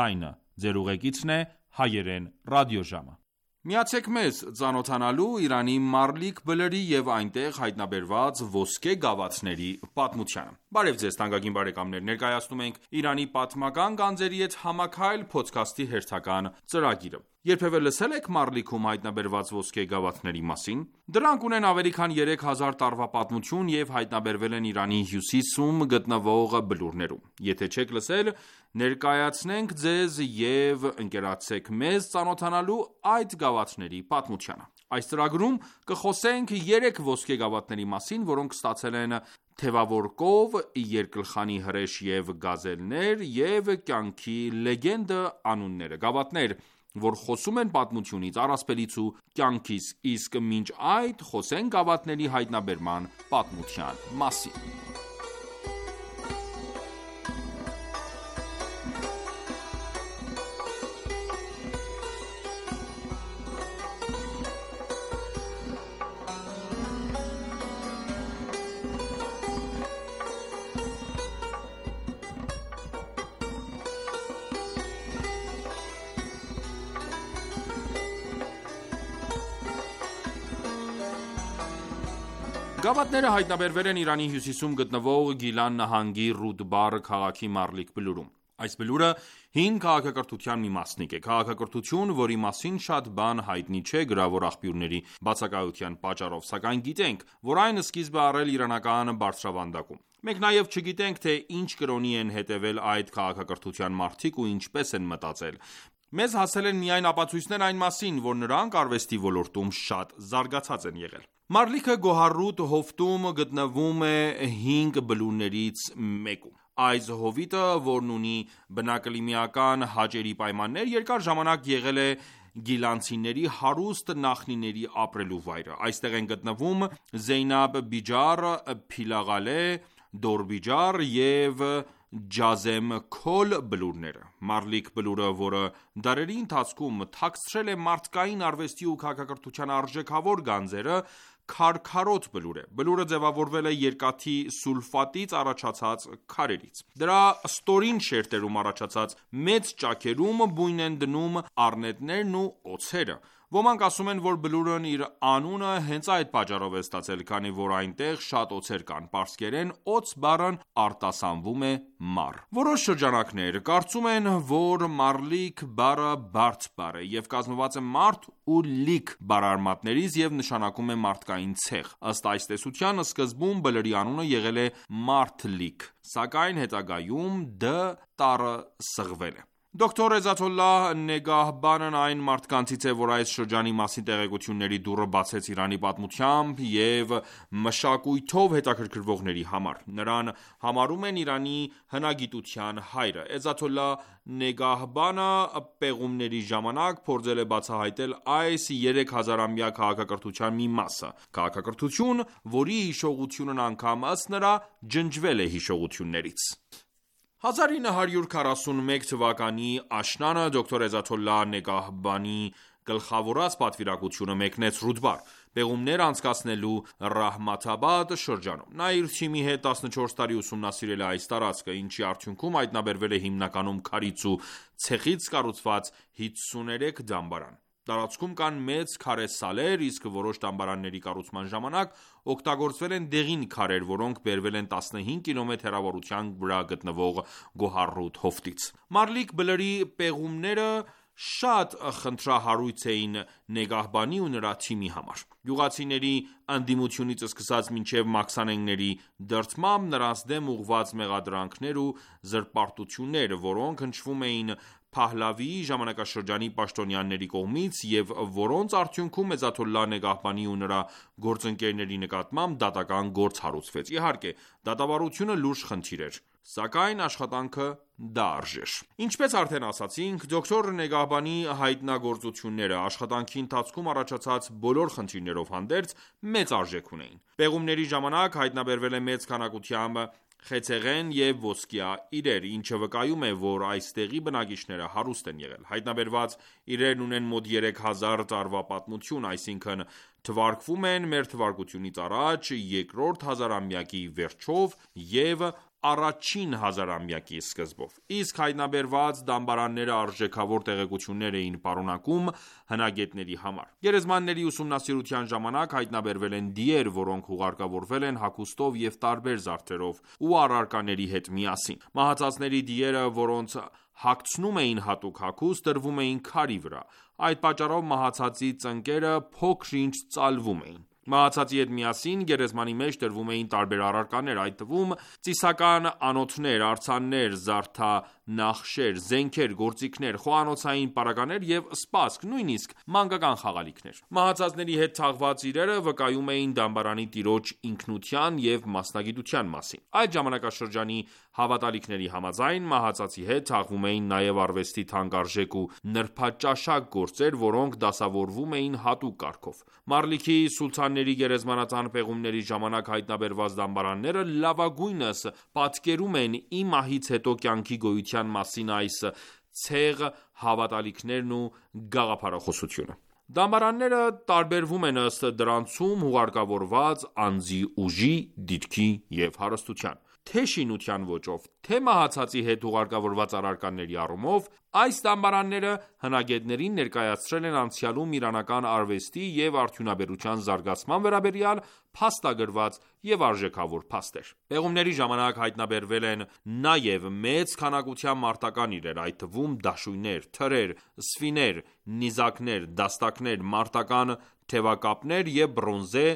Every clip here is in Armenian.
Այնը ձեր ուղեկիցն է հայերեն ռադիոժամը։ Միացեք մեզ ծանոթանալու Իրանի Մարլիկ Բլրի և այնտեղ հայտնաբերված ոսկե գավաթների պատմությանը։ Բարև ձեզ թանկագին բարեկամներ, ներկայացնում ենք Իրանի պատմական գանձերի հետ համաքայլ փոդքասթի հերթական ծրագիրը։ Երբևէ լսել եք Մարլիքում հայտնաբերված ոսկե գավաթների մասին։ Դրանք ունեն ավելի քան 3000 տարվա պատմություն և հայտնաբերվել են Իրանի հյուսիսում գտնվող բլուրներում։ Եթե չեք լսել, ներկայացնենք ձեզ և ընկերակցեք մեզ ծանոթանալու այդ գավաթների պատմությանը։ Այս ծրագրում կխոսենք 3 ոսկե գավաթների մասին, որոնք ստացել են թևավոր կով, երկլխանի հրեշ և գազելներ և կյանքի լեգենդը անունները։ Գավաթներ, որ խոսում են պատմությունից, առասպելից ու կյանքից, իսկ մինչ այդ խոսենք գավաթների հայտնաբերման պատմության մասին։ Գավաթները հայտնաբերվել են Իրանի հյուսիսում գտնվող Գիլան նահանգի Ռուդբար քաղաքի Մարլիկ բլուրում։ Այս բլուրը հին քաղաքակրթության մի մասնիկ է, քաղաքակրթություն, որի մասին շատ բան հայտնի չէ գրավոր աղբյուրների բացակայության պատճառով, սակայն գիտենք, որ այն սկիզբ է առել իրանական բարձրավանդակում։ Մենք նաև չգիտենք, թե ինչ կրոնի են հետևել այդ քաղաքակրթության մարդիկ ու ինչպես են մտածել։ Մեզ հասել են միայն ապացույցներ այն մասին, որ նրանք արվեստի ոլորտում շատ զարգացած են եղել։ Մարլիքը Գոհարուտ հովտում գտնվում է 5 բլուրներից մեկում։ Այս հովիտը, որն ունի բնակլիմայական հաճելի պայմաններ, երկար ժամանակ եղել է գիլանցիների հարուստ նախնիների ապրելու վայրը։ Այստեղ են գտնվում Զեյնաբ Բիջար, Փիլաղալե, Դորբիջար և Ջազեմ Քոլ բլուրները։ Մարլիկ բլուրը, որը դարերի ընթացքում թաքցրել է մարդկային արվեստի ու քաղաքակրթության արժեքավոր գանձերը, քարքարոտ բլուր է։ Բլուրը ձևավորվել է երկաթի սուլֆատից առաջացած քարերից։ Դրա ստորին շերտերում առաջացած մեծ ճաքերում բույն են դնում առնետներն ու օձերը։ Ոմանք ասում են, որ բլուրն իր անունը հենց այդ պատճառով է ստացել, քանի որ այնտեղ շատ օձեր կան։ Պարսկերեն օձ բառն արտասանվում է մառ։ Որոշ շրջանակներ կարծում են, որ մարլիկ բառը բարդ բառ է և կազմված է մարդ ու լիկ բառարմատներից և նշանակում է մարդկային ցեղ։ Ըստ այս տեսության, սկզբում բլրի անունը եղել է Մարդլիկ, սակայն հետագայում դ տառը սղվել է։ Դոկտոր Էզաթոլլահ Նեգահբանն այն մարդկանցից է, որ այս շրջանի մասին տեղեկությունների դուռը բացեց Իրանի պատմությամբ և մշակույթով հետաքրքրվողների համար։ Նրան համարում են Իրանի հնագիտության հայրը։ Էզաթոլլահ Նեգահբանը պեղումների ժամանակ փորձել է բացահայտել այս 3000-ամյա քաղաքակրթության մի մասը։ Քաղաքակրթություն, որի հիշողությունն անգամ ըստ նրա ջնջվել է հիշողություններից։ 1941 թվականի աշնանը դոկտոր Էզաթոլլահ Նեգահբանի գլխավորած պատվիրակությունը մեկնեց Ռուդբար, պեղումներ անցկացնելու Ռահմաթաբադ շրջանում։ Նա իր թիմի հետ 14 տարի ուսումնասիրել է այս տարածքը, ինչի արդյունքում հայտնաբերվել է հիմնականում քարից ու ցեխից կառուցված 53 դամբարան։ Տարածքում կան մեծ քարե սալեր, իսկ որոշ դամբարանների կառուցման ժամանակ օգտագործվել են դեղին քարեր, որոնք բերվել են 15 կիլոմետր հեռավորության վրա գտնվող Գոհարուտ հովտից։ Մարլիկ բլրի պեղումները շատ խնդրահարույց էին Նեգահբանի ու նրա թիմի համար։ Գյուղացիների ընդդիմությունից սկսած մինչև մաքսանենգների դրդմամբ նրանց դեմ ուղղված մեղադրանքներ ու զրպարտություններ, որոնք հնչվում էին Փահլավիի ժամանակաշրջանի պաշտոնյաների կողմից և որոնց արդյունքում Էզաթոլլահ Նեգահբանի ու նրա գործընկերների նկատմամբ դատական գործ հարուցվեց։ Իհարկե, դատավարությունը լուրջ խնդիր էր, սակայն աշխատանքը դարժեր։ Ինչպես արդեն ասացինք, դոկտոր Նեգահբանի հայտնագործությունները աշխատանքի ընթացքում առաջացած բոլոր խնդիրներով հանդերձ մեծ արժեք ունեին։ Պեղումների ժամանակ հայտնաբերվել է մեծ քանակությամբ խեցեղեն և ոսկյա իրեր, ինչը վկայում է, որ այստեղի բնակիչները հարուստ են եղել։ Հայտնաբերված իրերն ունեն մոտ 3000 տարվա պատմություն, այսինքն թվարկվում են մ.թ.ա. երկրորդ հազարամյակի վերջով և առաջին հազարամյակի սկզբով, իսկ հայտնաբերված դամբարանները արժեքավոր տեղեկություններ էին պարունակում հնագետների համար։ Գերեզմանների ուսումնասիրության ժամանակ հայտնաբերվել են դիեր, որոնք ուղարկավորվել են հագուստով և տարբեր զարդերով ու առարկաների հետ միասին։ Մահացածների դիերը, որոնց հագցնում էին հատուկ հագուստ, դրվում էին քարի վրա։ Այդ պատճառով մահացածի ծնկները փոքր-ինչ ծալվում էին։ Մահացածի հետ միասին գերեզմանի մեջ դրվում էին տարբեր առարկաներ, այդ թվում ծիսական անոթներ, արձաններ, զարդանախշեր, զենքեր, գործիքներ, խոհանոցային պարագաներ և սպասք, նույնիսկ մանկական խաղալիքներ։ Մահացածների հետ թաղված իրերը վկայում էին դամբարանի տիրոջ ինքնության և մասնագիտության մասին։ Այդ ժամանակաշրջանի հավատալիքների համաձայն, մահացածի հետ թաղվում էին նաև արվեստի թանկարժեք ու նրբաճաշակ գործեր, որոնք դասավորվում էին հատուկ կարգով։ Մարլիքի սուլթանների գերեզմանատան պեղումների ժամանակ հայտնաբերված դամբարանները լավագույնս պատկերում են ի մահից հետո կյանքի գոյության մասին այս ցեղ հավատալիքներն ու գաղափարախոսությունը։ Դամբարանները տարբերվում են ըստ դրանցում ուղարկավորված անձի ուժի, դիրքի և հարստության։ Թե շինության ոճով, թե մահացածի հետ ուղարկավորված առարկաների առումով, այս դամբարանները հնագետներին ներկայացրել են անցյալում իրանական արվեստի և արդյունաբերության զարգացման վերաբերյալ փաստագրված և արժեքավոր փաստեր։ Պեղումների ժամանակ հայտնաբերվել են նաև մեծ քանակությամբ մարտական իրեր, այդ թվում դաշույներ, թրեր, սֆիներ, նիզակներ, դաստակներ, մարտական թևակապներ և բրոնզե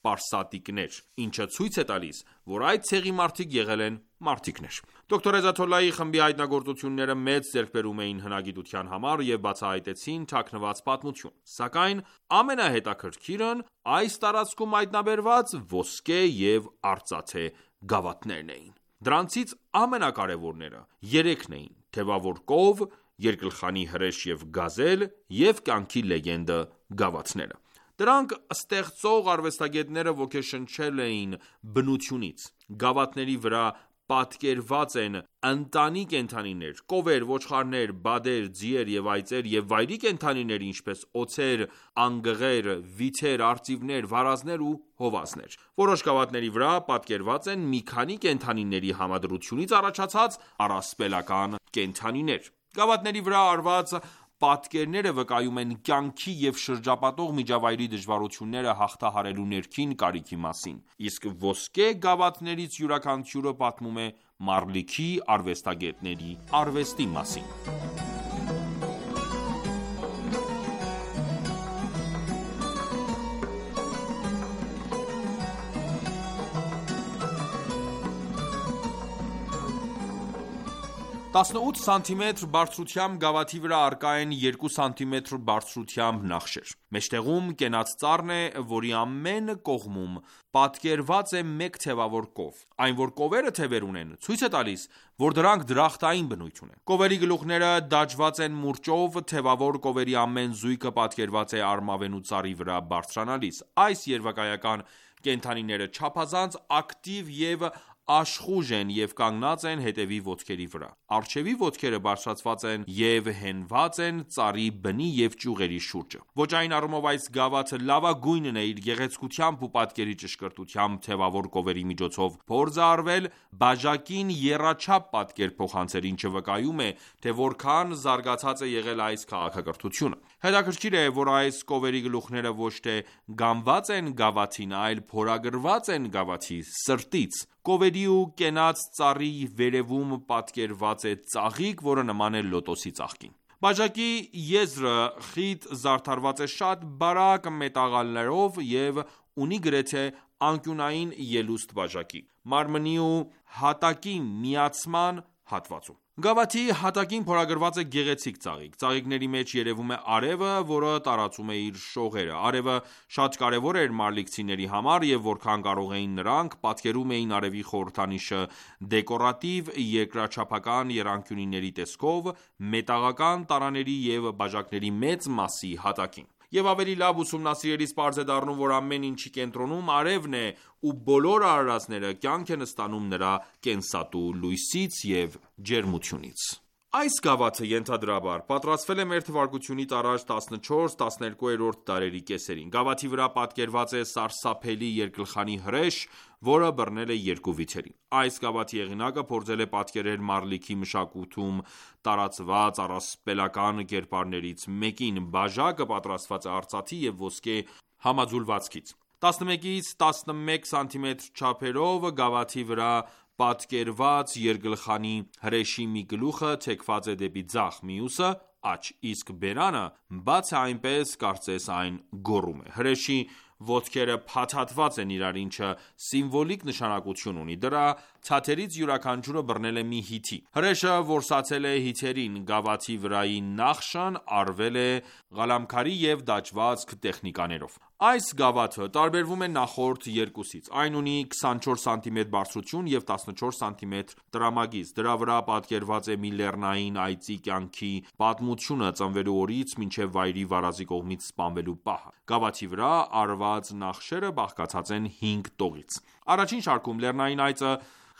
պարսատիկներ, ինչը ցույց է տալիս, որ այդ ցեղի մարդիկ եղել են մարտիկներ։ Դոկտոր Էզաթոլլահի խմբի հայտնագործությունները մեծ ձեռքբերում էին հնագիտության համար և բացահայտեցին թաքնված պատմություն։ Սակայն ամենահետաքրքիրն այս տարածքում հայտնաբերված ոսկե և արծաթե գավաթներն էին։ Դրանցից ամենակարևորները երեքն էին՝ թևավոր կով, երկլխանի հրեշ և գազել և կյանքի լեգենդը գավաթները։ Դրանք ստեղծող արվեստագետները ոգեշնչել էին բնությունից։ Գավաթների վրա պատկերված են ընտանի կենդանիներ, կովեր, ոչխարներ, բադեր, ձիեր և այծեր և վայրի կենդանիներ, ինչպես օձեր, անգղեր, վիթեր, արծիվներ, վարազներ ու հովազներ։ Որոշ գավաթների վրա պատկերված են մի քանի կենդանիների համադրությունից առաջացած առասպելական կենդանիներ։ Գավաթների վրա արված պատկերները վկայում են կյանքի և շրջապատող միջավայրի դժվարությունները հաղթահարելու ներքին կարիքի մասին, իսկ ոսկե գավաթներից յուրաքանչյուրը պատմում է Մարլիքի արվեստագետների արվեստի մասին։ 18 սանտիմետր բարձրությամբ գավաթի վրա առկա են 2 սանտիմետր բարձրությամբ նախշեր։ Մեջտեղում կենաց ծառն է, որի ամեն կողմում պատկերված է մեկ թևավոր կով։ Այն, որ կովերը թևեր ունեն, ցույց է տալիս, որ դրանք դրախտային բնույթ ունեն։ Կովերի գլուխները դաջված են մուրճով, թևավոր կովերի ամեն զույգը պատկերված է արմավենու ծառի վրա բարձրանալիս։ Այս երևակայական կենդանիները չափազանց ակտիվ և աշխուժ են և կանգնած են հետևի ոտքերի վրա։ Առջևի ոտքերը բարձրացված են և հենված են ծառի բնի և ճյուղերի շուրջը։ Ոճային առումով այս գավաթը լավագույնն է իր գեղեցկությամբ ու պատկերի ճշգրտությամբ, թևավոր կովերի միջոցով փորձ է արվել բաժակին եռաչափ պատկեր փոխանցել, ինչը վկայում է, թե որքան զարգացած է եղել այս քաղաքակրթությունը։ Հետաքրքիր է, որ այս կովերի գլուխները ոչ թե գամված են գավաթին, այլ փորագրված են գավաթի սրտից։ Կովերի ու կենաց ծառի վերևում պատկերված է ծաղիկ, որը նման է լոտոսի ծաղկին։ Բաժակի եզրը խիտ զարդարված է շատ բարակ մետաղալներով և ունի գրեթե անկյունային ելուստ բաժակի, մարմնի ու հատակի միացման հատվածում։ Գավաթի հատակին փորագրված է գեղեցիկ ծաղիկ։ Ծաղիկների մեջ երևում է արևը, որը տարածում է իր շողերը։ Արևը շատ կարևոր էր մարլիքցիների համար, և որքան կարող էին նրանք, պատկերում էին արևի խորհրդանիշը դեկորատիվ երկրաչափական եռանկյունների տեսքով մետաղական տարաների և բաժակների մեծ մասի հատակին։ Եվ ավելի լավ ուսումնասիրելիս պարզ է դառնում, որ ամեն ինչի կենտրոնում արևն է ու բոլոր արարածները կյանք են ստանում նրա կենսատու լույսից և ջերմությունից։ Այս գավաթը ենթադրաբար պատրաստվել է մ.թ.ա. առաջ 14-12-րդ դարերի կեսերին։ Գավաթի վրա պատկերված է սարսափելի երկգլխանի հրեշ, որը բռնել է երկու վիթերի։ Այս գավաթի հեղինակը փորձել է պատկերել մարլիքի մշակույթում տարածված առասպելական կերպարներից մեկին։ Բաժակը պատրաստված է արծաթի և ոսկե համաձուլվածքից։ 11-ից 11 սմ չափերով գավաթի վրա պատկերված երկգլխանի հրեշի մի գլուխը թեքված է դեպի ձախ, մյուսը՝ աջ, իսկ բերանը բաց է այնպես, կարծես այն գոռում է։ Հրեշի ոտքերը փաթաթված են իրար, ինչը սիմվոլիկ նշանակություն ունի։ Դրա ցաթերից յուրաքանչյուրը բռնել է մի հիթի։ Հրեշը որսացել է հիթերին։ Գավաթի վրայի նախշն արվել է ղալամքարի և դաջվածք տեխնիկաներով։ Այս գավաթը տարբերվում է նախորդ երկուսից։ Այն ունի 24 սմ բարձրություն և 14 սմ տրամագիծ։ Դրա վրա պատկերված է մի լեռնային այծի կյանքի պատմությունը ծնվելու օրից մինչև վայրի վարազի կողմից սպանվելու պահը։ Գավաթի վրա արված նախշերը բաղկացած են 5 տողից։ Առաջին շարքում լեռնային այծը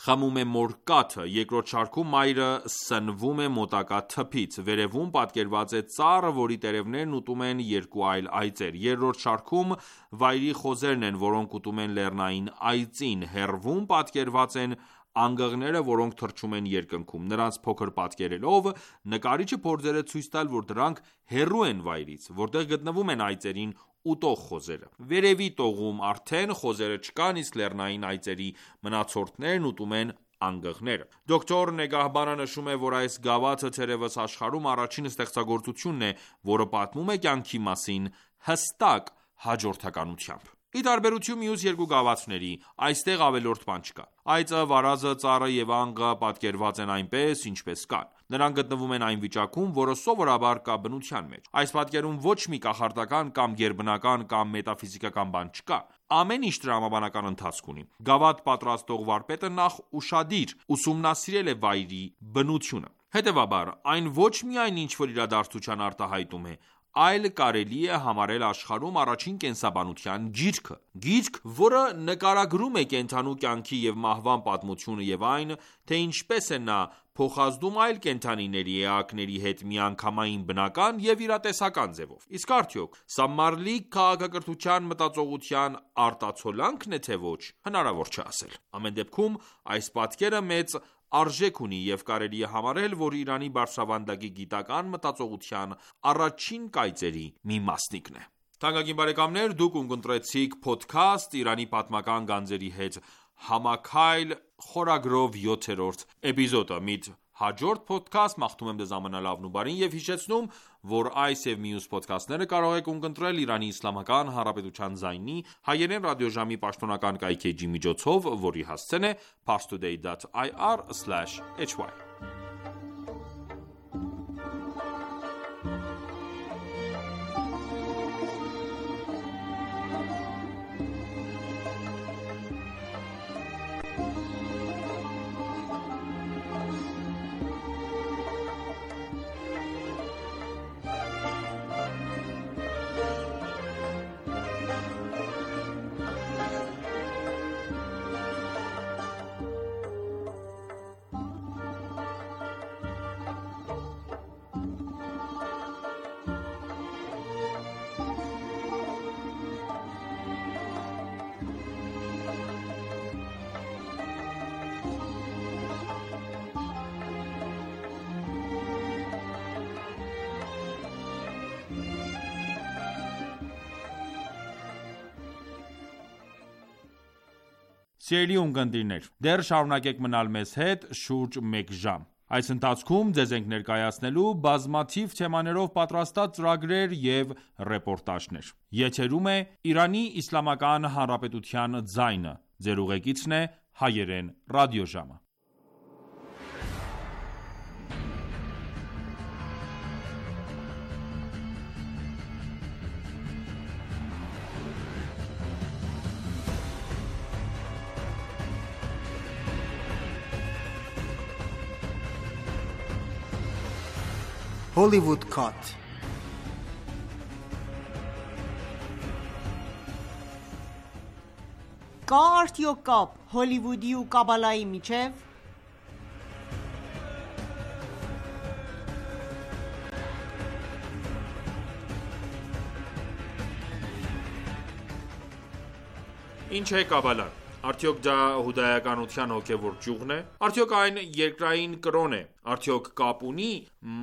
խմում է մոր կաթը, երկրորդ շարքում մայրը սնվում է մոտակա թփից, վերևում պատկերված է ծառ, որի տերևներն ուտում են երկու այլ այծեր, երրորդ շարքում վայրի խոզերն են, որոնք ուտում են լեռնային այծին, հեռվում պատկերված են անգղները, որոնք թռչում են երկնքում։ Նրանց փոքր պատկերելով նկարիչը փորձել է ցույց տալ, որ դրանք հեռու են վայրից, որտեղ գտնվում են այծերին ուտող խոզերը։ Վերևի տողում արդեն խոզերը չկան, իսկ լեռնային այծերի մնացորդներն ուտում են անգղները։ Դոկտոր Նեգահբանը նշում է, որ այս գավաթը թերևս աշխարհում առաջին ստեղծագործությունն է, որը պատմում է կյանքի մասին հստակ հաջորդականությամբ։ Ի տարբերություն մյուս երկու գավաթների, այստեղ ավելորդ բան չկա։ Այծը, վարազը, ծառը և անգղը պատկերված են այնպես, ինչպես կան։ Նրանք գտնվում են այն վիճակում, որը սովորաբար կա բնության մեջ։ Այս պատկերում ոչ մի կախարդական կամ գերբնական կամ մետաֆիզիկական բան չկա։ Ամեն ինչ տրամաբանական ընթացք ունի։ Գավաթ պատրաստող վարպետը նախ ուշադիր ուսումնասիրել է վայրի բնությունը։ Հետևաբար, այն ոչ միայն ինչ-որ իրադարձության արտահայտում է, այլ կարելի է համարել աշխարհում առաջին կենսաբանության գիրքը։ Գիրք, որը նկարագրում է կենդանու կյանքի և մահվան պատմությունը և այն, թե ինչպես է նա փոխազդում այլ կենդանիների էակների հետ միանգամայն բնական և իրատեսական ձևով։ Իսկ արդյոք սա մարլիկ քաղաքակրթության մտածողության արտացոլանքն է, թե ոչ, հնարավոր չէ ասել։ Ամեն դեպքում, այս պատկերը մեծ արժեք ունի և կարելի է համարել, որ Իրանի բարձրավանդակի գիտական մտածողության առաջին կայծերի մի մասնիկն է։ Թանկագին բարեկամներ, դուք ունկնդրեցիք Podcast Իրանի պատմական գանձերի հետ համաքայլ խորագրով 7-րդ էպիզոդը։ Մինչ հաջորդ podcast մաղթում եմ ձեզ ամենալավն ու բարին և հիշեցնում, որ այս և մյուս podcast-ները կարող եք ունկնդրել Իրանի Իսլամական Հանրապետության ձայնի հայերեն ռադիոժամի պաշտոնական կայքէջի միջոցով, որի հասցեն է parstoday.ir/hy։ Սիրելի ունկնդիրներ, դեռ շարունակեք մնալ մեզ հետ շուրջ մեկ ժամ։ Այս ընթացքում ձեզ ենք ներկայացնելու բազմաթիվ թեմաներով պատրաստած ծրագրեր և ռեպորտաժներ։ Եթերում է Իրանի Իսլամական Հանրապետության ձայնը։ Ձեր ուղեկիցն է հայերեն ռադիոժամը։ Hollywood Cut։ Կա արդյոք կապ Հոլիվուդի ու Կաբալայի միջև։ Ինչ է Կաբալան: Արդյոք դա հուդայականության հոգևոր ճյուղն է: Արդյոք այն երկրային կրոն է: Արդյոք կապ ունի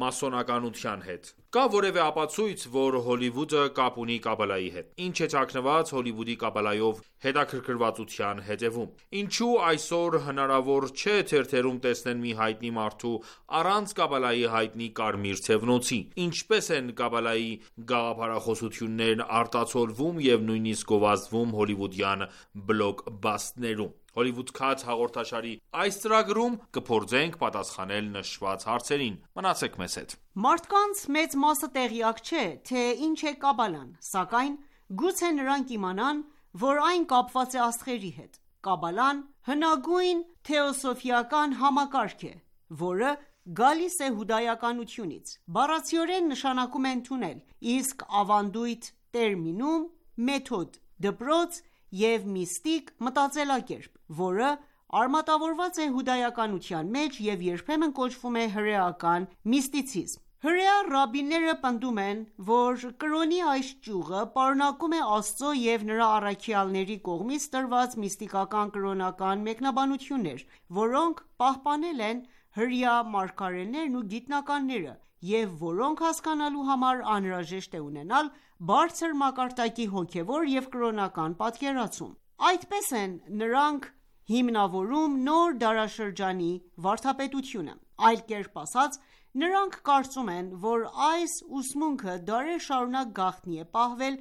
մասոնականության հետ: Կա որևէ ապացույց, որ Հոլիվուդը կապ ունի Կաբալայի հետ: Ինչ է թաքնված Հոլիվուդի Կաբալայով հետաքրքրվածության հետևում: Ինչու այսօր հնարավոր չէ թերթերում տեսնել մի հայտնի մարդու առանց Կաբալայի հայտնի կարմիր թևնոցի: Ինչպե՞ս են Կաբալայի գաղափարախոսություններն արտացոլվում և նույնիսկ գովազդվում հոլիվուդյան բլոկբասթերում: Hollywood Cut հաղորդաշարի այս ծրագրում կփորձենք պատասխանել նշված հարցերին: Մնացեք մեզ հետ: Մարդկանց մեծ մասը տեղյակ չէ, թե ինչ է Կաբալան, սակայն գուցե նրանք իմանան, որ այն կապված է աստղերի հետ: Կաբալան հնագույն թեոսոֆիական համակարգ է, որը գալիս է հուդայականությունից: Բառացիորեն նշանակում է ընդունել, իսկ ավանդույթ տերմինում մեթոդ, դպրոց և միստիկ մտածելակերպ, որը արմատավորված է հուդայականության մեջ և երբեմն կոչվում է հրեական միստիցիզմ: Հրեա ռաբբիները պնդում են, որ կրոնի այս ճյուղը պարունակում է Աստծո և նրա առաքյալների կողմից տրված միստիկական կրոնական մեկնաբանություններ, որոնք պահպանել են հրեա մարգարեներն ու գիտնականները և որոնք հասկանալու համար անհրաժեշտ է ունենալ բարձր մակարդակի հոգևոր և կրոնական պատկերացում: Այդպես են նրանք հիմնավորում նոր դարաշրջանի վարդապետությունը: Այլ կերպ ասած, նրանք կարծում են, որ այս ուսմունքը դարեր շարունակ գաղտնի է պահվել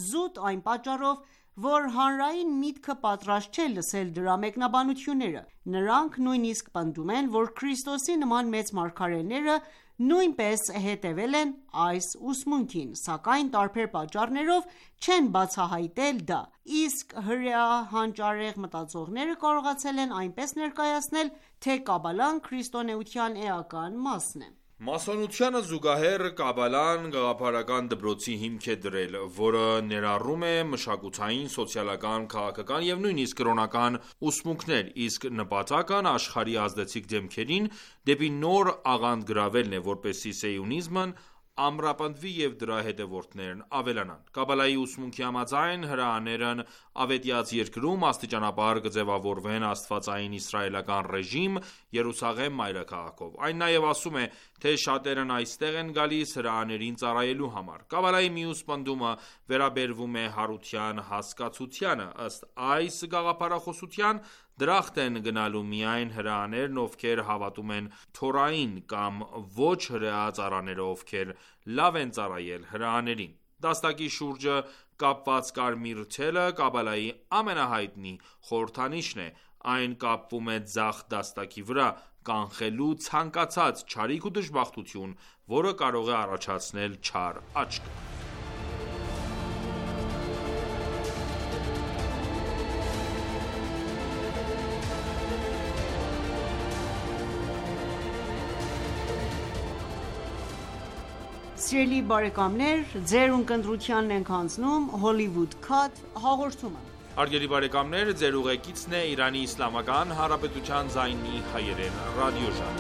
զուտ այն պատճառով, որ հանրային միտքը պատրաստ չէ լսել դրա մեկնաբանությունները: Նրանք նույնիսկ պնդում են, որ Քրիստոսի նման մեծ մարգարեները նույնպես հետևել են այս ուսմունքին, սակայն տարբեր պատճառներով չեն բացահայտել դա, իսկ հրեա հանճարեղ մտածողները կարողացել են այնպես ներկայացնել, թե Կաբալան քրիստոնեության էական մասն է: Մասոնությանը զուգահեռ Կաբալան գաղափարական դպրոցի հիմք է դրել, որը ներառում է մշակութային, սոցիալական, քաղաքական և նույնիսկ կրոնական ուսմունքներ, իսկ նպատակն աշխարհի ազդեցիկ դեմքերին դեպի նոր աղանդ գրավելն է, որպեսզի սիոնիզմն ամրապնդվի և դրա հետևորդներն ավելանան: Կաբալայի ուսմունքի համաձայն, հրեաներն ավետյաց երկրում աստիճանաբար կձևավորվեն աստվածային իսրայելական ռեժիմ Երուսաղեմ մայրաքաղաքով: Այն նաև ասում է, թե շատերն այստեղ են գալիս հրեաներին ծառայելու համար: Կաբալայի մյուս պնդումը վերաբերվում է հարության հասկացությանը: Ըստ այս գաղափարախոսության, դրախտ են գնալու միայն հրեաներն, ովքեր հավատում են Թորային, կամ ոչ հրեա ծառաները, ովքեր լավ են ծառայել հրեաներին: Դաստակի շուրջը կապված կարմիր թելը Կաբալայի ամենահայտնի խորհրդանիշն է: Այն կապվում է ձախ դաստակի վրա, կանխելու ցանկացած չարիք ու դժբախտություն, որը կարող է առաջացնել չար աչք: Սիրելի բարեկամներ, ձեր ունկնդրությանն ենք հանձնում Hollywood Cut հաղորդումը: Հարգելի բարեկամներ, ձեր ուղեկիցն է Իրանի Իսլամական Հանրապետության ձայնի հայերեն ռադիոժամ: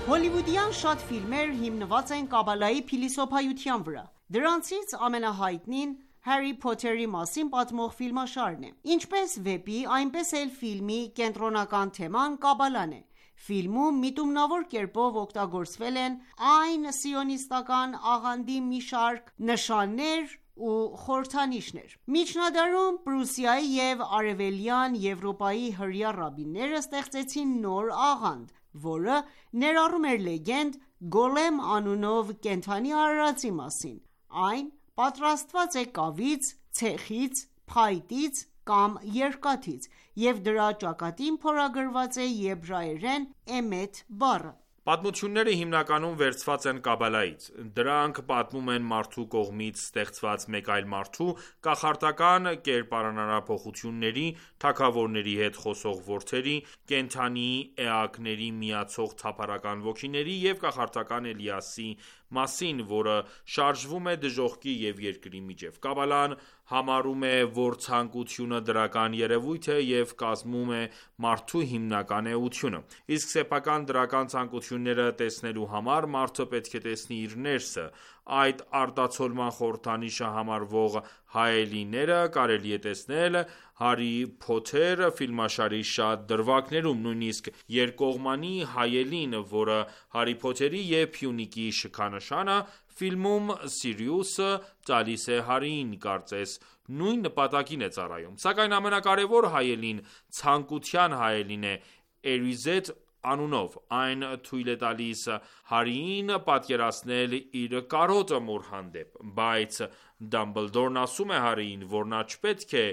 Հոլիվուդյան շատ ֆիլմեր հիմնված են Կաբալայի փիլիսոփայության վրա: Դրանցից ամենահայտնին Հարի Փոթերի մասին պատմող ֆիլմաշարն է: Ինչպես վեպի, այնպես էլ ֆիլմի կենտրոնական թեման Կաբալան է: Ֆիլմում միտումնավոր կերպով օգտագործվել են այն սիոնիստական աղանդի մի շարք նշաններ ու խորհրդանիշներ: Միջնադարում Պրուսիայի և Արևելյան Եվրոպայի հրեա ռաբբիները ստեղծեցին նոր աղանդ, որը ներառում էր լեգենդ Գոլեմ անունով կենդանի արարածի մասին: Այն պատրաստված է կավից, ցեխից, փայտից կամ երկաթից և դրա ճակատին փորագրված է եբրայերեն էմեթ բառը: Պատմությունները հիմնականում վերցված են Կաբալայից: Դրանք պատմում են մարդու կողմից ստեղծված մեկ այլ մարդու կախարդական կերպարանափոխությունների, թագավորների հետ խոսող որդերի, կենդանի էակների միացող թափառական ոգիների և կախարդական Էլիասի մասին, որը շարժվում է դժոխքի և երկրի միջև: Կաբալան համարում է, որ ցանկությունը դրական երևույթ է և կազմում է մարդու հիմնական էությունը: Իսկ սեփական դրական ցանկությունները տեսնելու համար մարդը պետք է տեսնի իր ներսը: Այդ արտացոլման խորհրդանիշը համարվող հայելիները կարելի է տեսնել «Հարի Փոթեր» ֆիլմաշարի շատ դրվագներում: Նույնիսկ երկկողմանի հայելին, որը Հարի Փոթերի և Փյունիկի շքանշանը, ֆիլմում Սիրիուսը տալիս է Հարիին, կարծես նույն նպատակին է ծառայում: Սակայն ամենակարևոր հայելին ցանկության հայելին է Էրիզեթ անունով: Այն թույլ է տալիս Հարիին պատկերացնել իր կարոտը մոր հանդեպ: Բայց Դամբլդորն ասում է Հարիին, որ նա չպետք է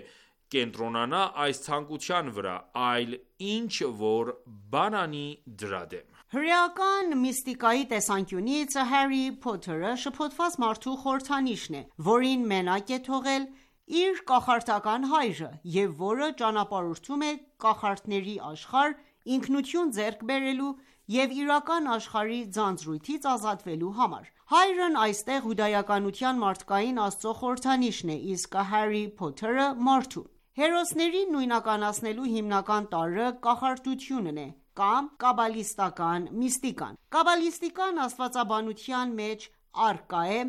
կենտրոնանա այս ցանկության վրա, այլ ինչ որ բան անի դրա դեմ: Հրեական միստիկայի տեսանկյունից Հարի Փոթերը շփոթված մարդու խորհրդանիշն է, որին մենակ է թողել իր կախարդական հայրը և որը ճանապարհորդում է կախարդների աշխարհ ինքնություն ձեռք բերելու և իրական աշխարհի ձանձրույթից ազատվելու համար: Հայրն այստեղ հուդայականության մարդկային Աստծո խորհրդանիշն է, իսկ Հարի Փոթերը մարդու: Հերոսներին նույնականացնելու հիմնական տարրը կախարդությունն է կամ կաբալիստական միստիկան: Կաբալիստական աստվածաբանության մեջ առկա է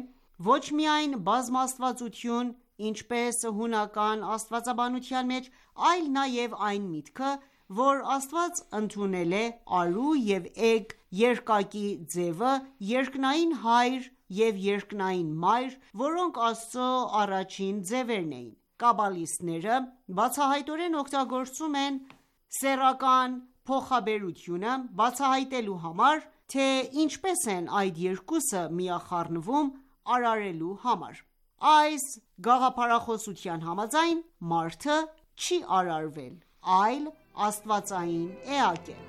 ոչ միայն բազմաստվածություն, ինչպես հունական աստվածաբանության մեջ, այլ նաև այն միտքը, որ Աստված ընդունել է արու և էգ երկակի ձևը երկնային հայր և երկնային մայր, որոնք Աստծո առաջին ձևերն էին: Կաբալիստները բացահայտորեն օգտագործում են սեռական փոխաբերությունը բացահայտելու համար, թե ինչպես են այդ երկուսը միախառնվում արարելու համար: Այս գաղափարախոսության համաձայն, մարդը չի արարվել, այլ աստվածային էակ է: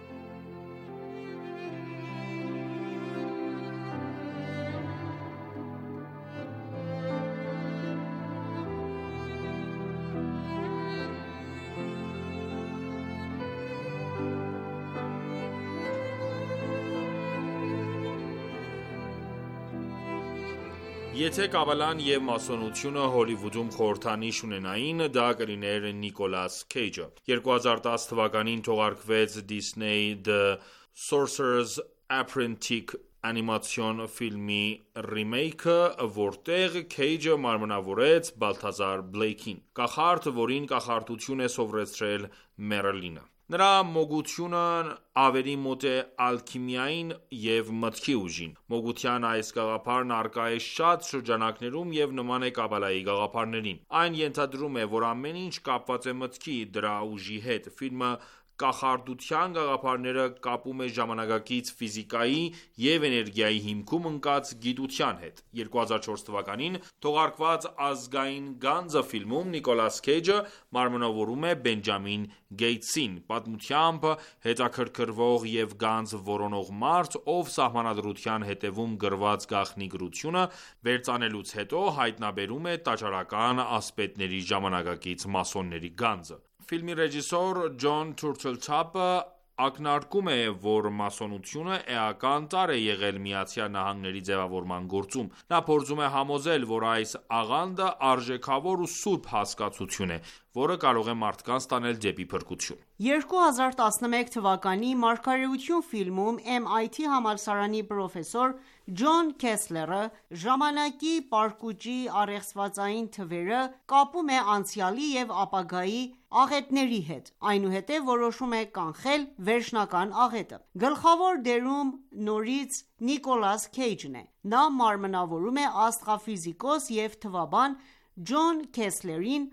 Եթե Կաբալան և մասոնությունը Հոլիվուդում խորհրդանիշ ունենային, դա կլիներ Նիկոլաս Քեյջը: 2010 թվականին թողարկվեց Disney The Sorcerer's Apprentice անիմացիոն ֆիլմի ռիմեյքը, որտեղ Քեյջը մարմնավորեց Բալթազար Բլեյքին, կախարդ, որին կախարդություն է սովորեցրել Մերլինը: Նրա մոգությունն ավելի մոտ է ալքիմիային և մտքի ուժին: Մոգության այս գաղափարն առկա է շատ շրջանակներում և նման է Կաբալայի գաղափարներին: Այն ենթադրում է, որ ամեն ինչ կապված է մտքի, դրա ուժի հետ: Ֆիլմը կախարդության գաղափարները կապում է ժամանակակից ֆիզիկայի և էներգիայի հիմքում ընկած գիտության հետ: 2004 թվականին թողարկված «Ազգային գանձը» ֆիլմում Նիկոլաս Քեյջը մարմնավորում է Բենջամին Գեյթսին, պատմությամբ հետաքրքրվող և գանձ որոնող մարդ, ով սահմանադրության հետևում գրված գաղտնի գրությունը վերծանելուց հետո հայտնաբերում է տաճարական ասպետների ժամանակակից մասոնների գանձը: Ֆիլմի ռեժիսոր Ջոն Թուրթլթափը ակնարկում է, որ մասոնությունը էական տարր է եղել ԱՄՆ-ի ձևավորման գործում: Նա փորձում է համոզել, որ այս աղանդը արժեքավոր ու սուրբ հասկացություն է, որը կարող է մարդկանց տանել դեպի փրկություն: 2011 թվականի «Մարգարեություն» ֆիլմում MIT համալսարանի պրոֆեսոր Ջոն Քեսլերը ժամանակի պարկուճի առեղծվածային թվերը կապում է անցյալի և ապագայի աղետների հետ, այնուհետև որոշում է կանխել վերջնական աղետը: Գլխավոր դերում նորից Նիկոլաս Քեյջն է: Նա մարմնավորում է աստղաֆիզիկոս և թվաբան Ջոն Քեսլերին,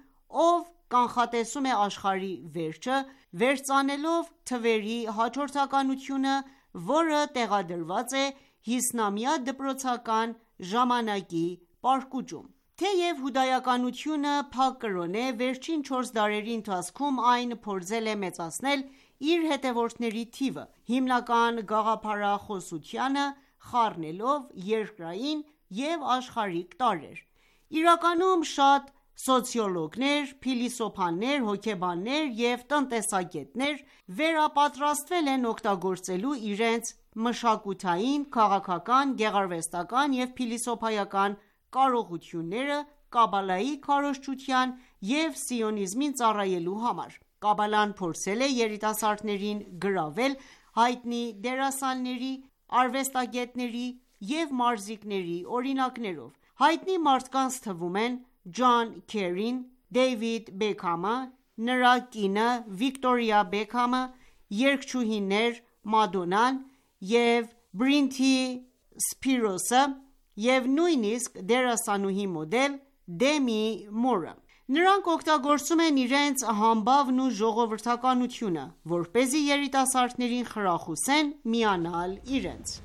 ով կանխատեսում է աշխարհի վերջը, վերծանելով թվերի հաջորդականությունը, որը տեղադրված է 50-ամյա դպրոցական ժամանակի պարկուճում: Թեև հուդայականությունը փակ կրոն է, վերջին 4 դարերի ընթացքում այն փորձել է մեծացնել իր հետևորդների թիվը, հիմնական գաղափարախոսությանը խառնելով երկրային և աշխարհիկ տարրեր: Իրականում շատ սոցիոլոգներ, փիլիսոփաներ, հոգեբաններ և տնտեսագետներ վերապատրաստվել են օգտագործելու իրենց մշակութային, քաղաքական, գեղարվեստական և փիլիսոփայական կարողությունները Կաբալայի քարոզչության և սիոնիզմին ծառայելու համար։ Կաբալան փորձել է երիտասարդներին գրավել հայտնի դերասանների, արվեստագետների և մարզիկների օրինակներով։ Հայտնի մարդկանց թվում են Ջոն Քերին, Դեյվիդ Բեքհամը, նրա կինը Վիկտորիա Բեքհամը, երգչուհիներ Մադոննան և Բրիթնի Սփիրոսը և նույնիսկ դերասանուհի մոդել Դեմի Մուրը։ Նրանք օգտագործում են իրենց համբավն ու ժողովրդականությունը, որպեսզի երիտասարդներին խրախուսեն միանալ իրենց։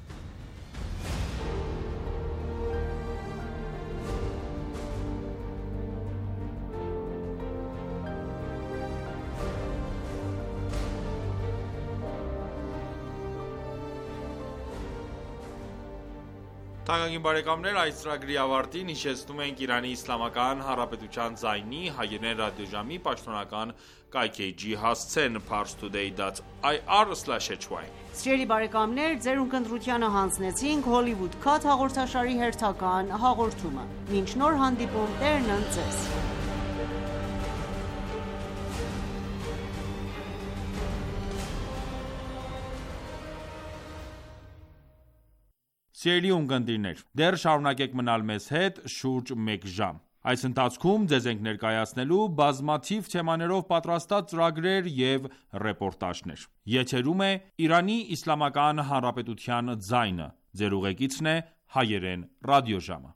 Թանկագին բարեկամներ, այս ծրագրի ավարտին հիշեցնում ենք Իրանի Իսլամական Հանրապետության ձայնի հայերեն ռադիոժամի պաշտոնական կայքէջի հասցեն parstoday.ir/hy։ Սիրելի բարեկամներ, ձեր ունկնդրությանը հանձնեցինք Hollywood Cut հաղորդաշարի հերթական հաղորդումը։ Մինչ նոր հանդիպում, Տերն ընդ ձեզ։ Սիրելի ունկնդիրներ, դեռ շարունակեք մնալ մեզ հետ շուրջ մեկ ժամ։ Այս ընթացքում ձեզ ենք ներկայացնելու բազմաթիվ թեմաներով պատրաստած ծրագրեր և ռեպորտաժներ։ Եթերում է Իրանի Իսլամական Հանրապետության ձայնը։ Ձեր ուղեկիցն է հայերեն ռադիոժամը։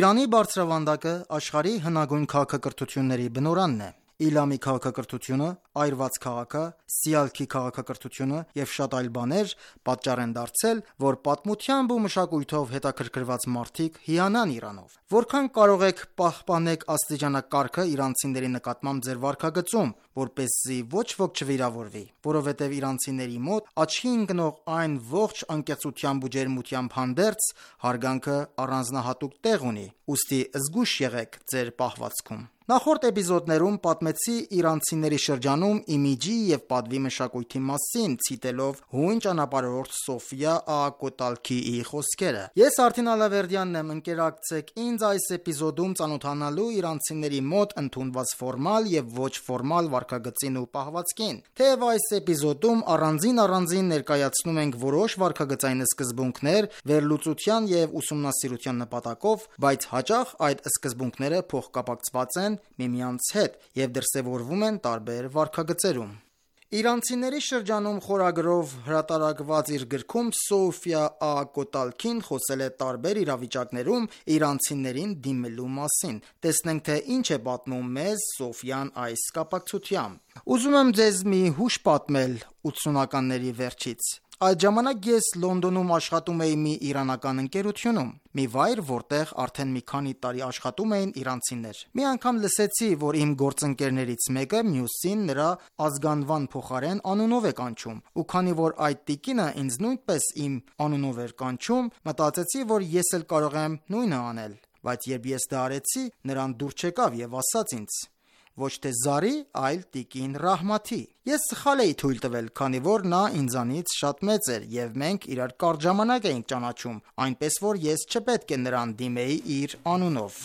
Իրանի բարձրավանդակը աշխարհի հնագույն քաղաքակրթությունների բնօրանն է։ Իլամի քաղաքակրթությունը, այրված քաղաքը, Սիալքի քաղաքակրթությունը և շատ այլ բաներ պատճառ են դարձել, որ պատմությամբ ու մշակույթով հետաքրքրված մարդիկ հիանան Իրանով։ Որքան կարող եք պահպանեք աստիճանակարգը իրանցիների նկատմամբ ձեր վարքագծում, որպեսզի ոչ ոք չվիրավորվի, որովհետև իրանցիների մոտ աչքի ընկնող այն ողջ անկեղծությամբ ու ջերմությամբ հանդերձ հարգանքը առանձնահատուկ տեղ ունի, ուստի զգույշ եղեք ձեր պահվածքում։ Նախորդ էպիզոդներում պատմեցի իրանցիների շրջանում իմիջի և պատվի մշակույթի մասին, ցիտելով հույն ճանապարհորդ Սոֆիա Ակոտալքիի խոսքերը։ Ես Արթին Ալավերդյանն եմ, ընկերակցեք ինձ այս էպիզոդում ծանոթանալու իրանցիների մոտ ընդունված ֆորմալ և ոչ ֆորմալ վարքագծին ու պահվածքին։ Թեև այս էպիզոդում առանձին ներկայացնում ենք որոշ վարքագծային սկզբունքներ վերլուծության և ուսումնասիրության նպատակով, բայց հաճախ այդ սկզբունքները փոխկապակցված են միմյանց հետ և դրսևորվում են տարբեր վարքագծերում։ Իրանցիների շրջանում խորագրով հրատարակված իր գրքում Սոֆիա Ակոտալքին խոսել է տարբեր իրավիճակներում իրանցիներին դիմելու մասին։ Տեսնենք, թե ինչ է պատմում մեզ Սոֆիան այս կապակցությամբ։ Ուզում եմ ձեզ մի հուշ պատմել 80-ականների վերջից։ Այդ ժամանակ ես Լոնդոնում աշխատում էի մի իրանական ընկերությունում, մի վայր, որտեղ արդեն մի քանի տարի աշխատում էին իրանցիներ։ Մի անգամ լսեցի, որ իմ գործընկերներից մեկը մյուսին նրա ազգանվան փոխարեն անունով է կանչում, ու քանի որ այդ տիկինը ինձ նույնպես իմ անունով էր կանչում, մտածեցի, որ ես էլ կարող եմ նույնը անել, բայց երբ ես դա արեցի, նրան դուր չեկավ և ասաց ինձ. ոչ թե Զարի, այլ տիկին Ռահմաթի։ Ես սխալ էի թույլ տվել, քանի որ նա ինձանից շատ մեծ էր և մենք իրար կարճ ժամանակ էինք ճանաչում, այնպես որ ես չպետք է նրան դիմեի իր անունով։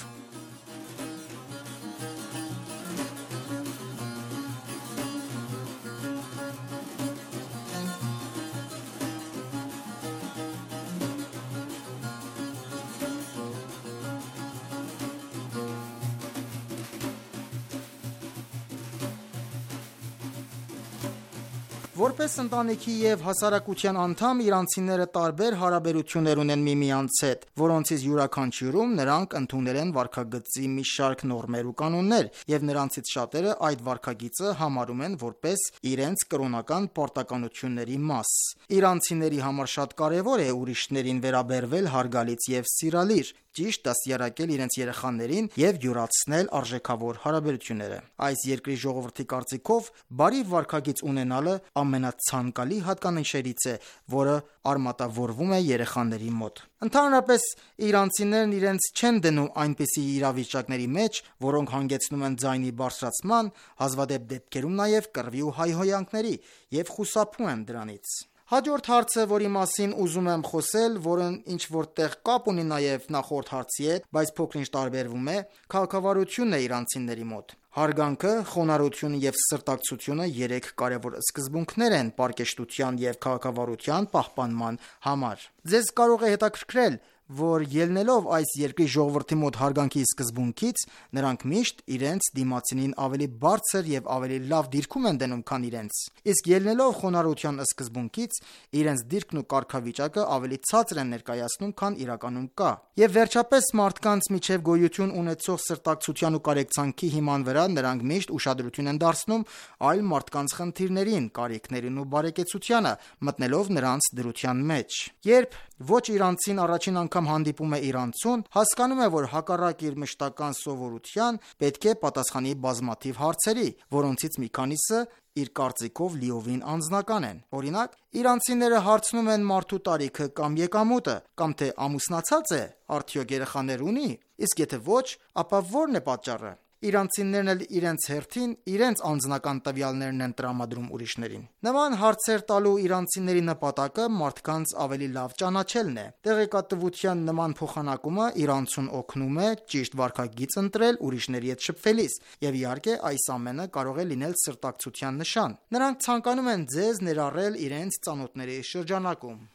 Որպես ընտանիքի և հասարակության անդամ իրանցիները տարբեր հարաբերություններ ունեն միմյանց հետ, որոնցից յուրաքանչյուրում նրանք ընդունել են վարքագծի մի շարք նորմեր ու կանոններ, և նրանցից շատերը այդ վարքագիծը համարում են որպես իրենց կրոնական պարտականությունների մաս։ Իրանցիների համար շատ կարևոր է ուրիշներին վերաբերվել հարգալից և սիրալիր, ճիշտ դաստիարակել իրենց երեխաներին և յուրացնել արժեքավոր հարաբերությունները։ Այս երկրի ժողովրդի կարծիքով բարի վարքագիծ ունենալը ամենացանկալի հատկանիշներից է, որը արմատավորվում է երեխաների մոտ։ Ընդհանրապես, իրանցիներն իրենց չեն դնում այնպիսի իրավիճակների մեջ, որոնք հանգեցնում են ձայնի բարձրացման, հազվադեպ դեպքերում նաև կռվի ու հայհոյանքների, և խուսափում են դրանից։ Հաջորդ հարցը, որի մասին ուզում եմ խոսել, որն ինչ որտեղ կապ ունի նաև նախորդ հարցի հետ, բայց փոքր-ինչ տարբերվում է, քաղաքավարությունն է իրանցիների մոտ։ Հարգանքը, խոնարհությունը եւ սրտակցությունը երեք կարևոր սկզբունքներ են պարկեշտության եւ քաղաքավարության պահպանման համար։ Ձեզ կարող է հետաքրքրել, որ ելնելով այս երկրի ժողովրդի մոտ հարգանքի սկզբունքից, նրանք միշտ իրենց դիմացինին ավելի բարձր եւ ավելի լավ դիրքում են դնում, քան իրենց։ Իսկ ելնելով խոնարհության սկզբունքից, իրենց դիրքն ու կարգավիճակը ավելի ցածր են ներկայացնում, քան իրականում կա։ Եվ վերջապես մարդկանց միջև գոյություն ունեցող սրտակցության ու կարեկցանքի հիման վրա նրանք միշտ ուշադրություն են դարձնում այլ մարդկանց խնդիրներին, կարիքներին ու բարեկեցությանը, մտնելով նրանց դրության մեջ։ Երբ ոչ իրանցին առաջին անգամ հանդիպում է իրանցուն, հասկանում է, որ հակառակ իր մշտական սովորության պետք է պատասխանի բազմաթիվ հարցերի, որոնցից մի քանիսը իր կարծիքով լիովին անձնական են։ Օրինակ, իրանցիները հարցնում են մարդու տարիքը կամ եկամուտը, կամ թե ամուսնացած է, արդյոք երեխաներ ունի, իսկ եթե ոչ, ապա ո՞րն է պատճառը։ Իրանցիներն էլ իրենց հերթին իրենց անձնական տվյալներն են տրամադրում ուրիշներին։ Նման հարցեր տալու իրանցիների նպատակը մարդկանց ավելի լավ ճանաչելն է։ Տեղեկատվության նման փոխանակումը իրանցուն օգնում է ճիշտ վարքագիծ ընտրել ուրիշների հետ շփվելիս, եւ իհարկե այս ամենը կարող է լինել սրտակցության նշան։ Նրանք ցանկանում են ձեզ ներառել իրենց ծանոթների շրջանակում։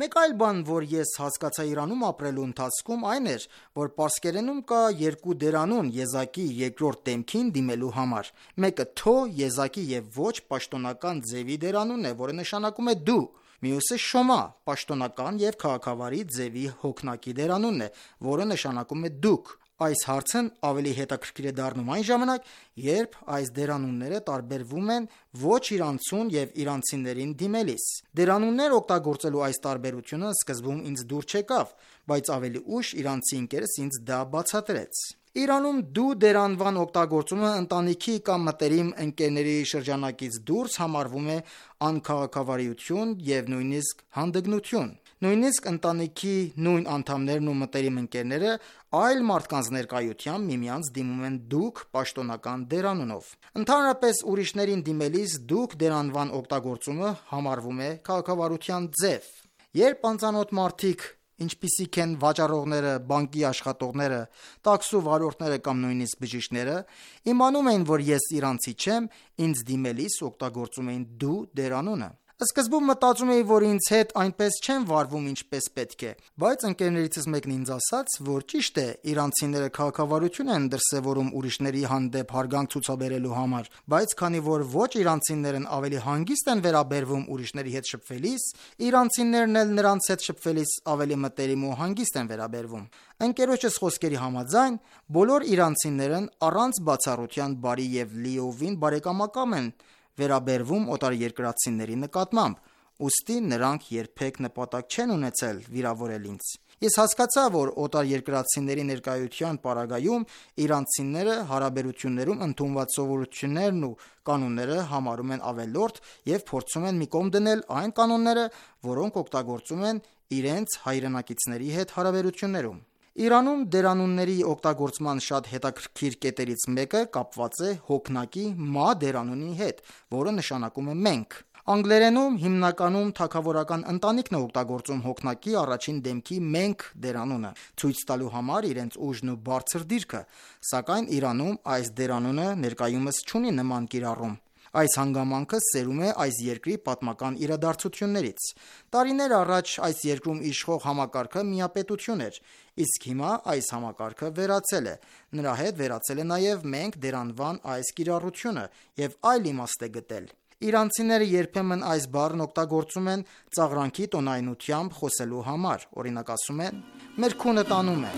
Մեկ այլ բան, որ ես հասկացա Իրանում ապրելու ընթացքում, այն էր, որ պարսկերենում կա երկու դերանուն եզակի երկրորդ դեմքին դիմելու համար։ Մեկը թո, եզակի եւ ոչ պաշտոնական ձևի դերանունն է, որը նշանակում է դու։ Մյուսը շոմա, պաշտոնական եւ քաղաքավարի ձևի հոգնակի դերանունն է, որը նշանակում է դուք։ Այս հարցն ավելի հետաքրքիր է դառնում այն ժամանակ, երբ այս դերանունները տարբերվում են ոչ իրանցուն եւ իրանցիներին դիմելիս։ Դերանուններ օգտագործելու այս տարբերությունը սկզբում ինձ դուր չեկավ, բայց ավելի ուշ իրանցի ընկերս ինձ դա բացատրեց։ Իրանում դու դերանվան օգտագործումը ընտանիքի կամ մտերիմ ընկերների շրջանակից դուրս համարվում է անքաղաքավարություն եւ նույնիսկ հանդգնություն։ Նույնիսկ ընտանիքի նույն անդամներն ու մտերիմ ընկերները այլ մարդկանց ներկայությամբ միմյանց դիմում են դուք պաշտոնական դերանունով։ Ընդհանրապես ուրիշներին դիմելիս դուք դերանվան օգտագործումը համարվում է քաղաքավարության ձև։ Երբ անծանոթ մարդիկ, ինչպիսիք են վաճառողները, բանկի աշխատողները, տաքսու վարորդները կամ նույնիսկ բժիշկները, իմանում էին, որ ես իրանցի չեմ, ինձ դիմելիս օգտագործում էին դու դերանունը։ Սկզբում մտածում էի, որ ինձ հետ այնպես չեն վարվում, ինչպես պետք է, բայց ընկերներիցս մեկն ինձ ասաց, որ ճիշտ է, իրանցիները քաղաքավարություն են դրսևորում ուրիշների հանդեպ հարգանք ցուցաբերելու համար, բայց քանի որ ոչ իրանցիներն ավելի հանգիստ են վերաբերվում ուրիշների հետ շփվելիս, իրանցիներն էլ նրանց հետ շփվելիս ավելի մտերիմ ու հանգիստ են վերաբերվում։ Ընկերոջս խոսքերի համաձայն, բոլոր իրանցիներն առանց բացառության բարի եւ լիովին բարեկամական են վերաբերվում օտարերկրացիների նկատմամբ, ուստի նրանք երբեք նպատակ չեն ունեցել վիրավորել ինձ։ Ես հասկացա, որ օտարերկրացիների ներկայության պարագայում իրանցիները հարաբերություններում ընդունված սովորություններն ու կանոնները համարում են ավելորդ եւ փորձում են մի կողմ դնել այն կանոնները, որոնք օգտագործում են իրենց հայրենակիցների հետ հարաբերություններում։ Իրանում դերանունների օգտագործման շատ հետաքրքիր կետերից մեկը կապված է հոգնակի մա դերանունի հետ, որը նշանակում է մենք։ Անգլերենում հիմնականում թագավորական ընտանիքն է օգտագործում հոգնակի առաջին դեմքի մենք դերանունը, ցույց տալու համար իրենց ուժն ու բարձր դիրքը, սակայն Իրանում այս դերանունը ներկայումս չունի նման կիրառում։ Այս հանգամանքը սերում է այս երկրի պատմական իրադարձություններից։ Տարիներ առաջ այս երկրում իշխող համակարգը միապետություն էր, իսկ հիմա այս համակարգը վերացել է։ Նրա հետ վերացել է նաև մենք դերանվան այս կիրառությունը եւ այլ իմաստ է գտել։ Իրանցիները երբեմն այս բառն օգտագործում են ծաղրանքի տոնայնությամբ խոսելու համար։ Օրինակ ասում են. «Մեր քունը տանում է»։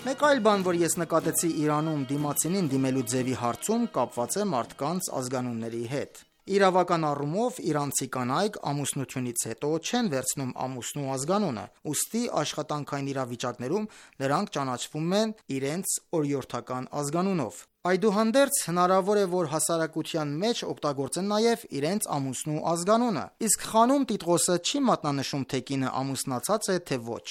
Մեկ այլ բան, որ ես նկատեցի Իրանում դիմացինին դիմելու ձևի հարցում, կապված է մարդկանց ազգանունների հետ։ Իրավական առումով իրանցի կանայք ամուսնությունից հետո չեն վերցնում ամուսնու ազգանունը, ուստի աշխատանքային իրավիճակներում նրանք ճանաչվում են իրենց օրիորդական ազգանունով։ Այդուհանդերձ հնարավոր է, որ հասարակության մեջ օգտագործեն նաև իրենց ամուսնու ազգանունը, իսկ խանում տիտղոսը չի մատնանշում, թե կինը ամուսնացած է, թե ոչ։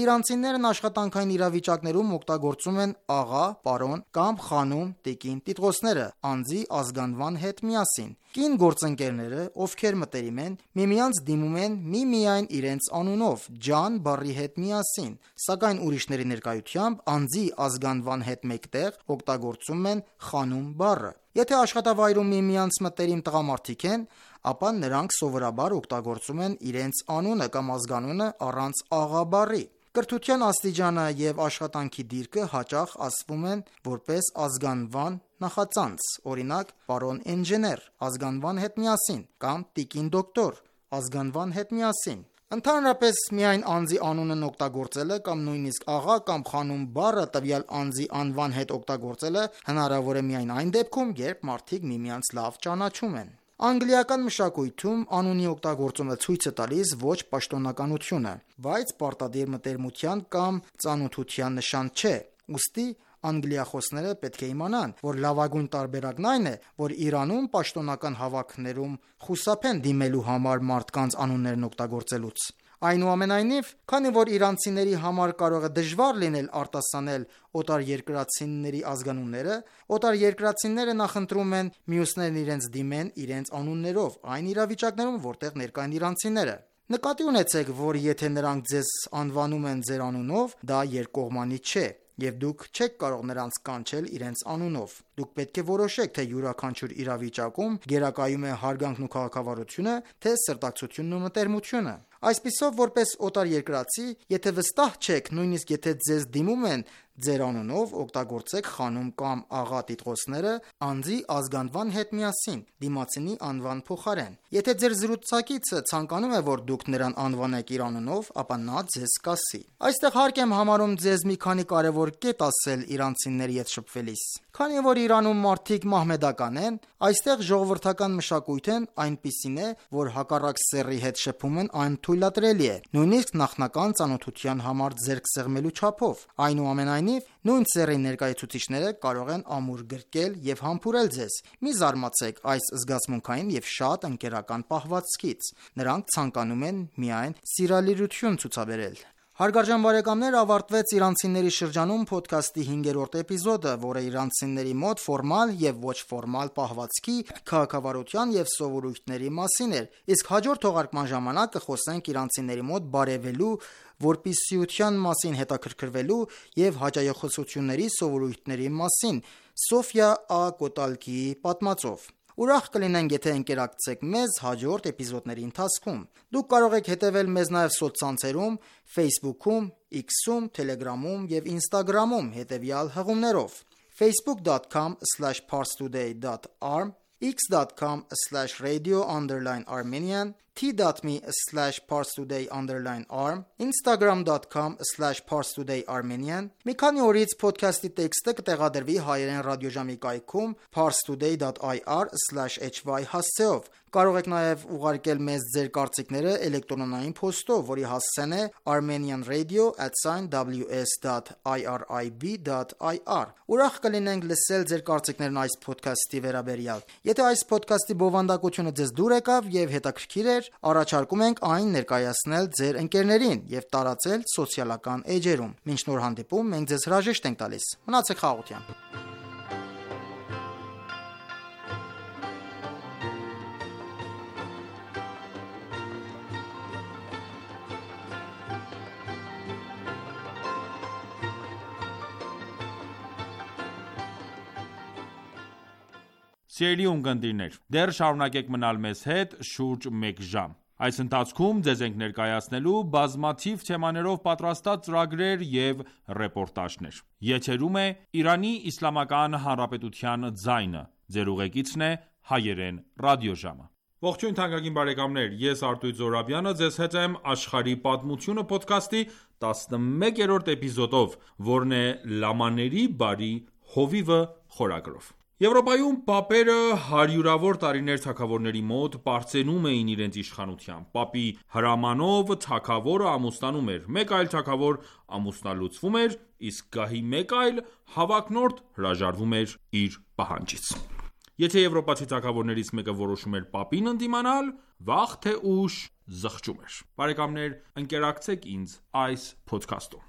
Իրանցիներն աշխատանքային իրավիճակներում օգտագործում են աղա, պարոն կամ խանում տիկին տիտղոսները անձի ազգանվան հետ միասին։ Կին գործընկերները, ովքեր մտերիմ են, միմյանց դիմում են միմիայն իրենց անունով, ջան բառի հետ միասին, սակայն ուրիշների ներկայությամբ անձի ազգանվան հետ մեկտեղ օգտագործում են խանում բառը։ Եթե աշխատավայրում միմյանց մտերիմ տղամարդիկ են, ապա նրանք սովորաբար օգտագործում են իրենց անունը կամ ազգանունը առանց աղա բառի։ Կրթության աստիճանը եւ աշխատանքի դիրքը հաճախ ասվում են որպես ազգանվան նախածանց, օրինակ պարոն ինժեներ ազգանվան հետ միասին կամ տիկին դոկտոր ազգանվան հետ միասին։ Ընդհանրապես միայն անձի անունն օգտագործելը կամ նույնիսկ աղա կամ խանում բառը տվյալ անձի անվան հետ օգտագործելը հնարավոր է միայն այն դեպքում, երբ մարդիկ միմյանց լավ ճանաչում են։ Անգլիական մշակույթում անունի օգտագործումը ցույց է տալիս ոչ պաշտոնականությունը, բայց պարտադիր մտերմության կամ ծանոթության նշան չէ։ Ուստի անգլիախոսները պետք է իմանան, որ լավագույն տարբերակն այն է, որ Իրանում պաշտոնական հավաքներում խուսափեն դիմելու համար մարդկանց անուններն օգտագործելուց։ Այնուամենայնիվ, քանի որ իրանցիների համար կարող է դժվար լինել արտասանել օտարերկրացիների ազգանունները, օտարերկրացիները նախընտրում են մյուսներն իրենց դիմեն իրենց անուններով, այն իրավիճակներում, որտեղ ներկա են իրանցիները։ Նկատի ունեցեք, որ եթե նրանք ձեզ անվանում են ձեր անունով, դա երկկողմանի չէ, եւ դուք չեք կարող նրանց կանչել իրենց անունով։ Դուք պետք է որոշեք, թե յուրաքանչյուր իրավիճակում գերակայում է հարգանքն ու քաղաքավարությունը, թե սրտակցությունն ու մտերմությունը։ Այսպիսով, որպես օտարերկրացի, եթե վստահ չեք, նույնիսկ եթե ձեզ դիմում են ձեր անունով, օգտագործեք խանում կամ աղա տիտղոսները անձի ազգանվան հետ միասին, դիմացինի անվան փոխարեն։ Եթե ձեր զրուցակիցը ցանկանում է, որ դուք նրան անվանեք իր անունով, ապա նա ձեզ կասի։ Այստեղ հարկ եմ համարում ձեզ մի քանի կարևոր կետ ասել իրանցիների հետ շփվելիս։ Քանի որ Իրանում մարդիկ մահմեդական են, այստեղ ժողովրդական մշակույթն այնպիսին է, որ հակառակ սեռի հետ շփումն անթույլատրելի է, նույնիսկ նախնական ծանոթության համար ձեռք սեղմելու չափով։ Այնուամենայնիվ, նույն սեռի ներկայացուցիչները կարող են ամուր գրկել եւ համբուրել ձեզ։ Մի զարմացեք այս զգացմունքային եւ շատ ընկերական պահվածքից։ Նրանք ցանկանում են միայն սիրալիրություն ցուցաբերել։ Հարգարժան բարեկամներ, ավարտվեց իրանցիների շրջանում ոդքասթի 5-րդ էպիզոդը, որը իրանցիների մոտ ֆորմալ եւ ոչ ֆորմալ պահվածքի, քաղաքավարության եւ սովորույթների մասին էր։ Իսկ հաջորդ թողարկման ժամանակ կխոսենք իրանցիների մոտ բարևելու, որպիսիության մասին հետաքրքրվելու եւ հաճայախոսությունների սովորույթների մասին Սոֆիա Ա. Կոտալկիի պատմածով։ Ուրախ կլինենք, եթե ընկերակցեք մեզ հաջորդ էպիզոդների ընթացքում։ Դուք կարող եք հետևել մեզ նաև սոցցանցերում, Facebook-ում, X-ում, Telegram-ում եւ Instagram-ում հետևյալ հղումներով. facebook.com/parstoday.arm, x.com/radio_armenian, t.me/parstoday_arm, instagram.com/parstoday_armenian։ Մի քանի օրից ոդքասթի տեքստը կտեղադրվի հայերեն ռադիոժամի կայքում parstoday.ir/hy հասցեով։ Կարող եք նաև ուղարկել մեզ ձեր կարծիքները էլեկտրոնային փոստով, որի հասցեն է armenianradio@ws.irib.ir։ Ուրախ կլինենք լսել ձեր կարծիքներն այս ոդքասթի վերաբերյալ։ Եթե այս ոդքասթի բովանդակությունը ձեզ դուր եկավ եւ հետաքրքիր էր, առաջարկում ենք այն ներկայացնել ձեր ընկերներին եւ տարածել սոցիալական էջերում։ Մինչ նոր հանդիպում, մենք ձեզ հրաժեշտ ենք տալիս։ Մնացեք խաղաղությամբ։ Սիրելի ունկնդիրներ, դեռ շարունակեք մնալ մեզ հետ շուրջ 1 ժամ։ Այս ընթացքում ձեզ ենք ներկայացնելու բազմաթիվ թեմաներով պատրաստած ծրագրեր եւ ռեպորտաժներ։ Եթերում է Իրանի Իսլամական Հանրապետության ձայնը։ Ձեր ուղեկիցն է հայերեն ռադիոժամը։ Ողջույն թանկագին բարեկամներ, ես Արտույտ Զոհրաբյանը ձեզ հետ եմ Աշխարհի պատմությունը ոդքասթի 11-րդ էպիզոդով, որն է Լամաների բարի հովիվը խորագրով։ Եվրոպայում պապերը հարյուրավոր տարիներ թագավորների մոտ պարծենում էին իրենց իշխանությամբ: Պապի հրամանով թագավորը ամուսնանում էր, մեկ այլ թագավոր ամուսնալուծվում էր, իսկ գահի մեկ այլ հավակնորդ հրաժարվում էր իր պահանջից: Եթե եվրոպացի թագավորներից մեկը որոշում էր պապին ընդդիմանալ, վաղ թե ուշ զղջում էր: Բարեկամներ, ընկերակցեք ինձ այս փոդքասթում: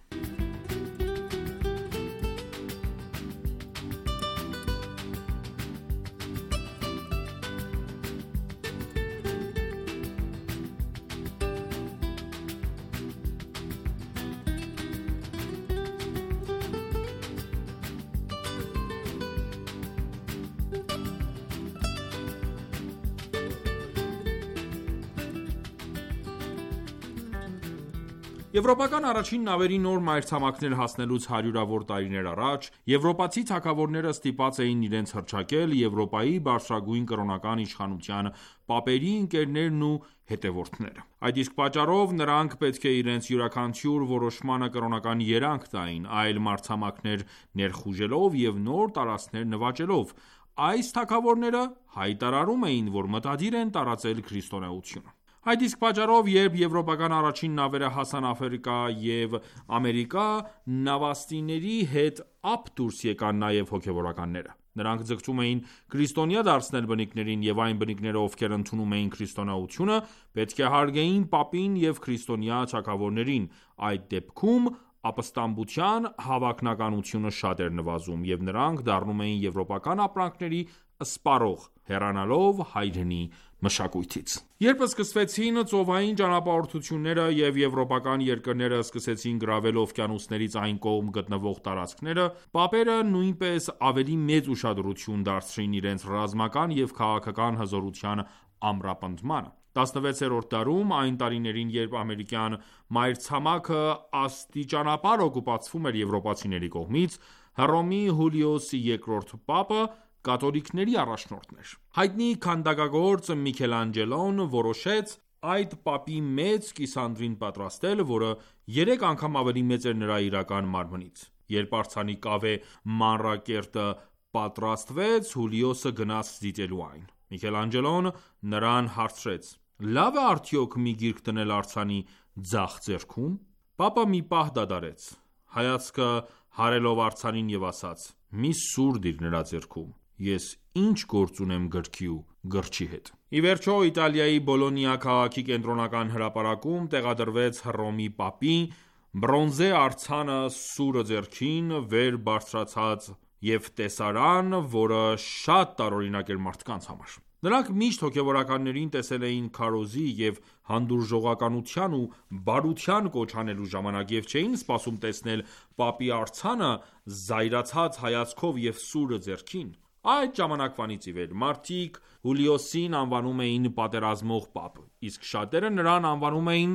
Եվրոպական առաջին նավերի նոր մայրցամաքներ հասնելուց հարյուրավոր տարիներ առաջ, եվրոպացի թագավորները ստիպված էին իրենց հռչակել Եվրոպայի բարձրագույն կրոնական իշխանության պապերի ընկերներն ու հետևորդները: Այդ իսկ պատճառով նրանք պետք է իրենց յուրաքանչյուր որոշմանը կրոնական երանգ տային, այլ մայրցամաքներ ներխուժելով և նոր տարածքներ նվաճելով: Այս թագավորները հայտարարում էին, որ մտադիր են տարածել քրիստոնեությունը: Այդ իսկ պատճառով, երբ եվրոպական առաջին նավերը հասան Աֆրիկա և Ամերիկա, նավաստիների հետ ապ դուրս եկան նաև հոգևորականները: Նրանք ձգտում էին քրիստոնյա դարձնել բնիկներին և այն բնիկները, ովքեր ընդունում էին քրիստոնեությունը, պետք է հարգեին պապին և քրիստոնյա թագավորներին: Այդ դեպքում ապստամբության հավանականությունը շատ էր նվազում, և նրանք դառնում էին եվրոպական ապրանքների սպառող, հեռանալով հայրենի մշակույթից: Երբ սկսվեցին ծովային ճանապարհորդությունները և եվրոպական երկրները սկսեցին գրավել օվկիանոսներից այն կողմ գտնվող տարածքները, պապերը նույնպես ավելի մեծ ուշադրություն դարձրին իրենց ռազմական և քաղաքական հզորության ամրապնդմանը: 16-րդ դարում, այն տարիներին, երբ ամերիկյան մայրցամաքը աստիճանաբար օկուպացվում էր եվրոպացիների կողմից, Հռոմի Հուլիոս II պապը կաթոլիկների առաջնորդն էր: Հայտնի քանդակագործ Միքելանջելոն որոշեց այդ պապի մեծ կիսանդրին պատրաստել, որը 3 անգամ ավելի մեծ էր նրա իրական մարմնից: Երբ արձանի կավե մանրակերտը պատրաստվեց, Հուլիոսը գնաց դիտելու այն: Միքելանջելոն նրան հարցրեց. «Լավ է արդյոք մի գիրք դնել արձանի ձախ ձեռքում»: Պապը մի պահ դադարեց, հայացքը հարելով արձանին և ասաց. «Մի սուր դիր նրա ձեռքում: Ես ինչ գործ ունեմ գրքի ու գրչի հետ»: Ի վերջո, Իտալիայի Բոլոնիա քաղաքի կենտրոնական հրապարակում տեղադրվեց Հռոմի պապի բրոնզե արձանը սուրը ձեռքին, վեր բարձրացած և տեսարան, որը շատ տարօրինակ էր մարդկանց համար: Նրանք միշտ հոգևորականներին տեսել էին քարոզի և հանդուրժողականության ու բարության կոչ անելու ժամանակ և չէին սպասում տեսնել պապի արձանը զայրացած հայացքով և սուրը ձեռքին: Այդ ժամանակվանից ի վեր, մարդիկ Հուլիոսին անվանում էին պատերազմող պապ, իսկ շատերը նրան անվանում էին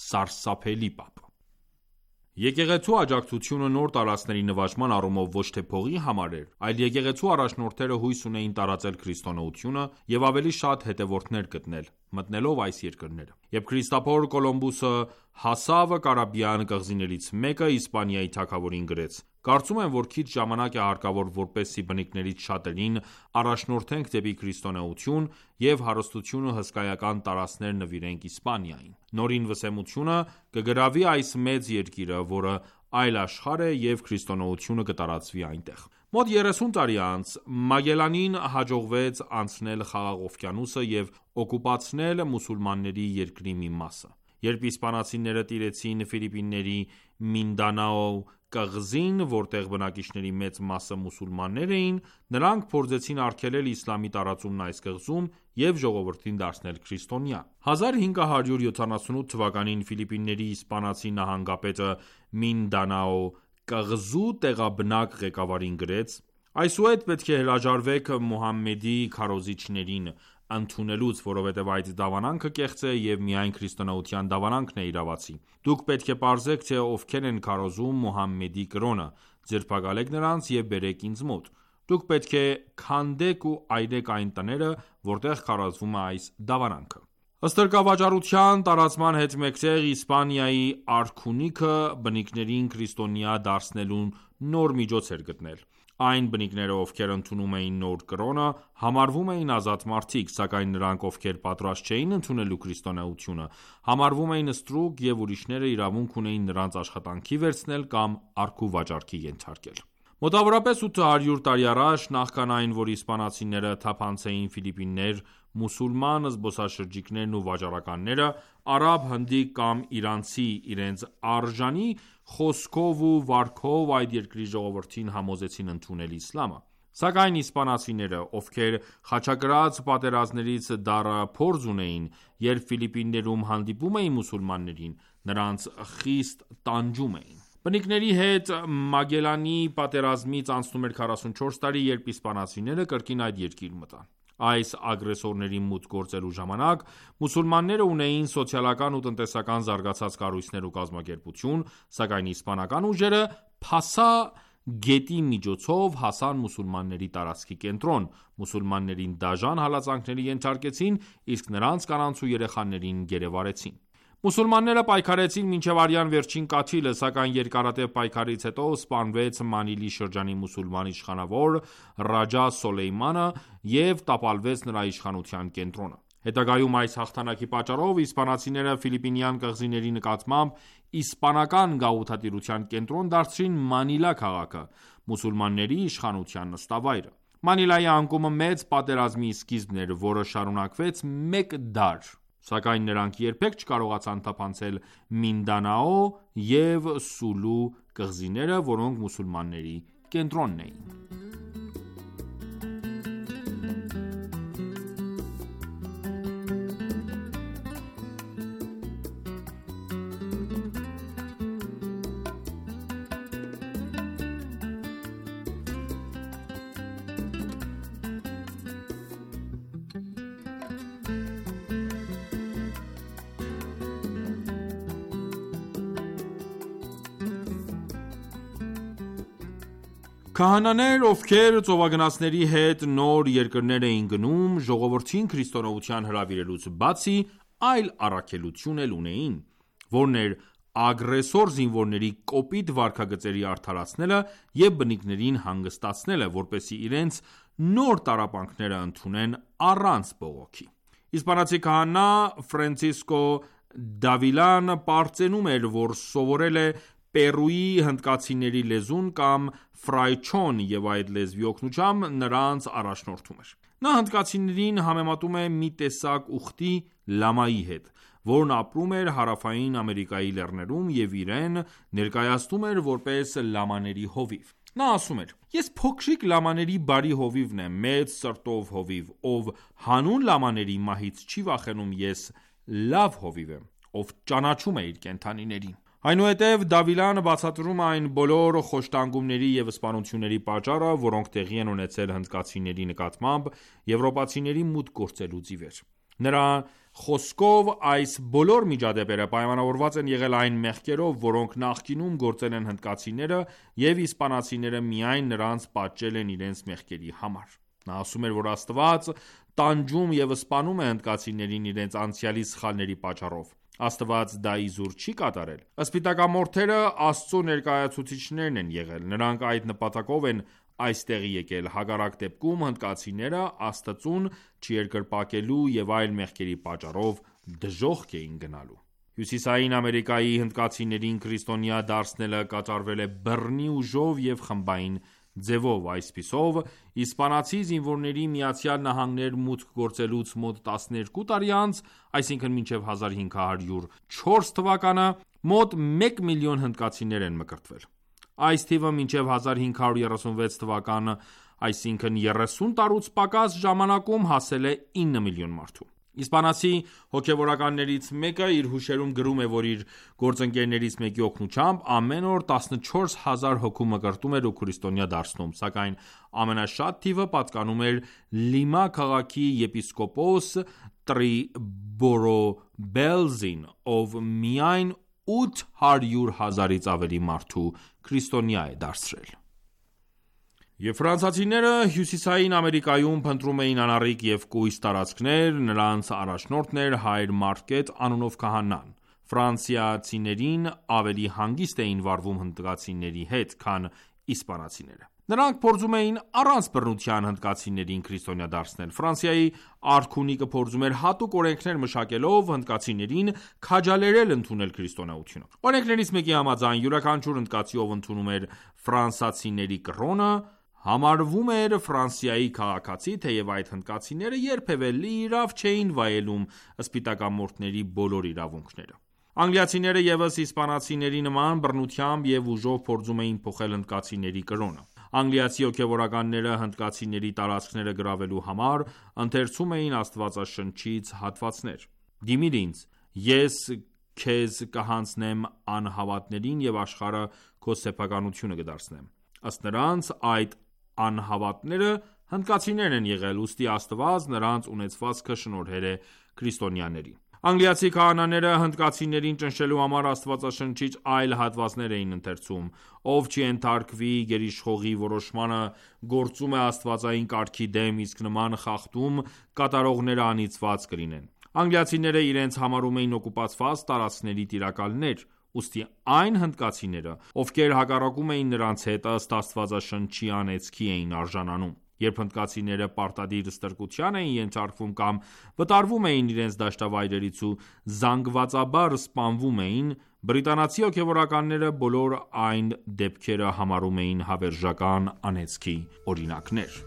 սարսափելի պապ: Եկեղեցու աջակցությունը նոր տարածքների նվաճման առումով ոչ թե փողի համար էր, այլ եկեղեցու առաջնորդները հույս ունեին տարածել քրիստոնեությունը և ավելի շատ հետևորդներ գտնել, մտնելով այս երկրները: Երբ Քրիստափոր Կոլումբոսը հասավ Կարիբյան կղզիներից մեկը, Իսպանիայի թագավորին գրեց. «Կարծում եմ, որ քիչ ժամանակ է հարկավոր, որպեսզի բնիկներից շատերին առաջնորդենք դեպի քրիստոնեություն և հարստությունը հսկայական տարածքներ նվիրենք Իսպանիային: Նորին վսեմությունը կգրավի այս մեծ երկիրը, որը այլ աշխարհ է և քրիստոնեությունը կտարածվի այնտեղ»: Մոտ 30 տարի անց, Մագելլանին հաջողվեց անցնել Խաղաղ օվկիանոսը և օկուպացնել մուսուլմանների երկրի մի մասը: Երբ իսպանացիները տիրեցին Ֆիլիպինների Մինդանաո կղզին, որտեղ բնակիչների մեծ մասը մուսուլմաններ էին, նրանք փորձեցին արգելել իսլամի տարածումն այս կղզում և ժողովրդին դարձնել քրիստոնյա: 1578 թվականին Ֆիլիպինների իսպանացի նահանգապետը Մինդանաո կղզու տեղաբնակ ղեկավարին գրեց. «Այսուհետ պետք է հրաժարվեք Մուհամմեդի քարոզիչներին ընդունելուց, որովհետև այդ դավանանքը կեղծ է և միայն քրիստոնեության դավանանքն է իրավացի: Դուք պետք է պարզեք, թե ովքեր են քարոզում Մուհամմեդի կրոնը, ձերբակալեք նրանց և բերեք ինձ մոտ: Դուք պետք է քանդեք ու այրեք այն տները, որտեղ քարոզվում է այս դավանանքը»: Ստրկավաճառության տարածման հետ մեկտեղ, Իսպանիայի արքունիքը բնիկներին քրիստոնյա դարձնելու նոր միջոց էր գտնել: Այն բնիկները, ովքեր ընդունում էին նոր կրոնը, համարվում էին ազատ մարդիկ, սակայն նրանք, ովքեր պատրաստ չէին ընդունելու քրիստոնեությունը, համարվում էին ստրուկ և ուրիշները իրավունք ունեին նրանց աշխատանքի վերցնել կամ արքու վաճառքի ենթարկել։ Մոտավորապես 800 տարի առաջ, նախքան այն, որ իսպանացիները թափանցեին Ֆիլիպիններ, մուսուլման զբոսաշրջիկներն ու վաճառականները, արաբ, հնդիկ կամ իրանցի իրենց արժանի խոսքով ու վարքով այդ երկրի ժողովրդին համոզեցին ընդունել իսլամը։ Սակայն իսպանացիները, ովքեր խաչակրաց պատերազմներից դառը փորձ ունեին, երբ Ֆիլիպիններում հանդիպում էին մուսուլմաններին, նրանց խիստ տանջում էին։ Բնիկների հետ Մագելլանի պատերազմից անցնում էր 44 տարի, երբ իսպանացիները կրկին այդ երկիր մտան։ Այս ագրեսորների մուտք գործելու ժամանակ մուսուլմանները ունեին սոցիալական ու տնտեսական զարգացած կառույցներ ու կազմակերպություն, սակայն իսպանական ուժերը Փասա գետի միջոցով հասան մուսուլմանների տարածքի կենտրոն, մուսուլմաններին դաժան հալածանքների ենթարկեցին, իսկ նրանց կանանց ու երեխաներին գերեվարեցին։ Մուսուլմանները պայքարեցին մինչև արյան վերջին կաթիլը, սակայն երկարատև պայքարից հետո սպանվեց Մանիլի շրջանի մուսուլման իշխանավոր Ռաջա Սոլեյմանը և տապալվեց նրա իշխանության կենտրոնը։ Հետագայում այս հաղթանակի պատճառով իսպանացիները ֆիլիպինյան կղզիների նկատմամբ իսպանական գաղութատիրության կենտրոն դարձրին Մանիլա քաղաքը, մուսուլմանների իշխանության նստավայրը։ Մանիլայի անկումը մեծ պատերազմի սկիզբն էր, որը շարունակվեց մեկ դար, սակայն նրանք երբեք չկարողացան թափանցել Մինդանաո և Սուլու կղզիները, որոնք մուսուլմանների կենտրոնն էին։ Քահանաներ, ովքեր ծովագնացների հետ նոր երկրներ էին գնում, ժողովրդին քրիստոնեության հրավիրելուց բացի, այլ առաքելություն էլ ունեին, որն էր ագրեսոր զինվորների կոպիտ վարքագծերի արդարացնելը և բնիկներին հանգստացնելը, որպեսզի իրենց նոր տառապանքները ընդունեն առանց բողոքի։ Իսպանացի քահանա Ֆրանցիսկո Դավիլան պարծենում էր, որ սովորել է Պերուի հնդկացիների լեզուն կամ ֆրայչոն և այդ լեզվի օգնությամբ նրանց առաջնորդում էր։ Նա հնդկացիներին համեմատում է մի տեսակ ուխտի լամայի հետ, որն ապրում էր Հարավային Ամերիկայի լեռներում և իրեն ներկայացնում էր որպես լամաների հովիվ։ Նա ասում էր. «Ես փոքրիկ լամաների բարի հովիվն եմ, մեծ սրտով հովիվ, ով հանուն լամաների մահից չի վախենում, ես լավ հովիվ եմ, ով ճանաչում է իր կենդանիներին»։ Այնուհետև Դավիլան բացատրում է այն բոլոր խոշտանգումների և սպանությունների պատճառը, որոնք տեղի են ունեցել հնդկացիների նկատմամբ եվրոպացիների մուտք գործելուց ի վեր։ Նրա խոսքով այս բոլոր միջադեպերը պայմանավորված են եղել այն մեղքերով, որոնք նախկինում գործել են հնդկացիները, և իսպանացիները միայն նրանց պատժել են իրենց մեղքերի համար։ Նա ասում էր, որ Աստված տանջում և սպանում է հնդկացիներին իրենց անցյալի սխալների պատճառով։ Աստված դա իզուր չի կատարել։ Սպիտակամորթերը Աստծո ներկայացուցիչներն են եղել, նրանք այդ նպատակով են այստեղ եկել, հակառակ դեպքում հնդկացիները Աստծուն չերկրպագելու և այլ մեղքերի պատճառով դժոխք էին գնալու։ Հյուսիսային Ամերիկայի հնդկացիներին քրիստոնյա դարձնելը կատարվել է բռնի ուժով և խմբային ձևով։ Այսպիսով, իսպանացի զինվորների ԱՄՆ մուտք գործելուց մոտ 12 տարի անց, այսինքն մինչև 1504 թվականը, մոտ 1 միլիոն հնդկացիներ են մկրտվել։ Այս թիվը մինչև 1536 թվականը, այսինքն 30 տարուց պակաս ժամանակում հասել է 9 միլիոն մարդու։ Իսպանացի հոգևորականներից մեկը իր հուշերում գրում է, որ իր գործընկերներից մեկի օգնությամբ ամեն օր 14,000 հոգու մկրտում էր ու քրիստոնյա դարձնում, սակայն ամենաշատ թիվը պատկանում էր Լիմա քաղաքի եպիսկոպոս Տրիբորոբելզին, ով միայն 800,000-ից ավելի մարդու քրիստոնյա է դարձրել։ Եվ ֆրանսիացիները Հյուսիսային Ամերիկայում փնտրում էին անառիկ և կույս տարածքներ, նրանց առաջնորդն էր Հայր Մարկետ անունով քահանան։ Ֆրանսիացիներին ավելի հանգիստ էին վարվում հնդկացիների հետ, քան իսպանացիները։ Նրանք փորձում էին առանց բռնության հնդկացիներին քրիստոնյա դարձնել։ Ֆրանսիայի արքունիկը փորձում էր հատուկ օրենքներ մշակելով հնդկացիներին քաջալերել ընդունել քրիստոնեությունը։ Օրենքներից մեկի համաձայն յուրաքանչյուր հնդկացի, ով ընդունում էր ֆրանսացիների կրոնը, համարվում էր Ֆրանսիայի քաղաքացի, թեև այդ հնդկացիները երբևէ լիիրավ չէին վայելում սպիտակամորթների բոլոր իրավունքները։ Անգլիացիները ևս իսպանացիների նման բռնությամբ և ուժով փորձում էին փոխել հնդկացիների կրոնը։ Անգլիացի հոգևորականները հնդկացիների տարածքները գրավելու համար ընթերցում էին Աստվածաշնչից հատվածներ. «Դիմիր ինձ, ես քեզ կհանձնեմ անհավատներին և աշխարհը քո սեփականությունը կդարձնեմ»։ Ըստ նրանց, այդ անհավատները հնդկացիներն են եղել, ուստի Աստված նրանց ունեցվածքը շնորհել է քրիստոնյաներին։ Անգլիացի քահանաները հնդկացիներին ճնշելու համար Աստվածաշնչից այլ հատվածներ էին ընթերցում. «Ով չենթարկվի գերիշխողի որոշմանը, գործում է աստվածային կարգի դեմ, իսկ նման խախտում կատարողները անիծված կլինեն»։ Անգլիացիները իրենց համարում էին օկուպացված տարածքների տիրակալներ, ուստի այն հնդկացիները, ովքեր հակառակում էին նրանց հետ, ըստ Աստվածաշնչի անեծքի էին արժանանում։ Երբ հնդկացիները պարտադիր ստրկության էին ենթարկվում կամ վտարվում էին իրենց դաշտավայրերից ու զանգվածաբար սպանվում էին, բրիտանացի հոգևորականները բոլոր այն դեպքերը համարում էին հավերժական անեծքի օրինակներ։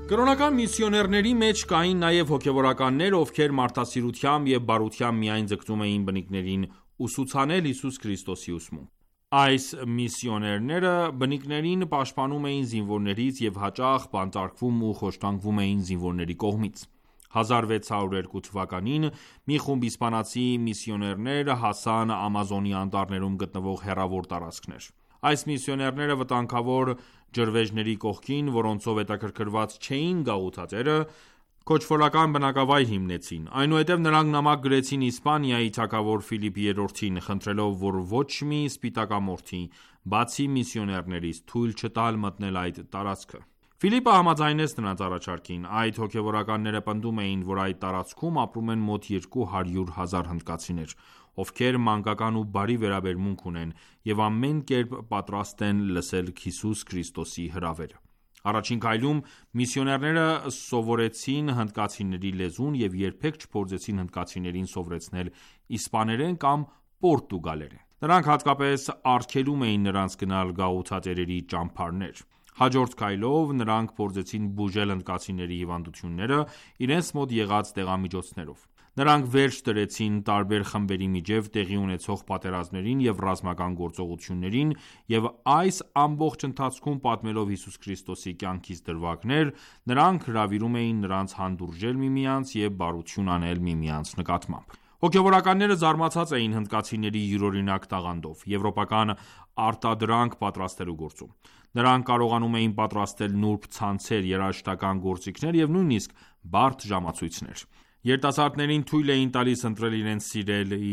Կրոնական միսիոներների մեջ կային նաև հոգևորականներ, ովքեր մարդասիրությամբ և բարությամբ միայն ձգտում էին բնիկներին ուսուցանել Հիսուս Քրիստոսի ուսմունք։ Այս միսիոներները բնիկներին պաշտպանում էին զինվորներից և հաճախ բանտարկվում ու խոշտանգվում էին զինվորների կողմից։ 1602 թվականին մի խումբ իսպանացի միսիոներներ հասան Ամազոնի անտառներում գտնվող հեռավոր տարածքներ։ Այս միսիոներները վտանգավոր ջրվեժների կողքին, որոնցով հետաքրքրված չէին գաղութատերը, քոչվորական բնակավայր հիմնեցին։ Այնուհետև նրանք նամակ գրեցին Իսպանիայի թագավոր Ֆիլիպ III-ին, խնդրելով, որ ոչ մի սպիտակամորթի, բացի միսիոներներից, թույլ չտալ մտնել այդ տարածքը։ Ֆիլիպը համաձայնեց նրանց առաջարկին։ Այդ հոգևորականները պնդում էին, որ այդ տարածքում ապրում են մոտ 200,000 հնդկացիներ, ովքեր մանկական ու բարի վերաբերմունք ունեն և ամեն կերպ պատրաստ են լսել Հիսուս Քրիստոսի հրավերը։ Առաջին քայլում միսիոներները սովորեցին հնդկացիների լեզուն և երբեք չփորձեցին հնդկացիներին սովորեցնել իսպաներեն կամ պորտուգալերեն։ Նրանք հատկապես արգելում էին նրանց գնալ գաղութատերերի ճամբարներ։ Հաջորդ քայլով նրանք փորձեցին բուժել հնդկացիների հիվանդությունները իրենց մոտ եղած դեղամիջոցներով։ Նրանք վերջ դրեցին տարբեր խմբերի միջև տեղի ունեցող պատերազմներին և ռազմական գործողություններին և այս ամբողջ ընթացքում պատմելով Հիսուս Քրիստոսի կյանքից դրվագներ, նրանք հրավիրում էին նրանց հանդուրժել միմյանց և բարություն անել միմյանց նկատմամբ։ Հոգևորականները զարմացած էին հնդկացիների յուրօրինակ տաղանդով, եվրոպական արտադրանք պատրաստելու գործում։ Նրանք կարողանում էին պատրաստել նուրբ ցանցեր, երաժշտական գործիքներ և նույնիսկ բարդ ժամացույցներ։ Երիտասարդներին թույլ էին տալիս ընտրել իրենց սիրելի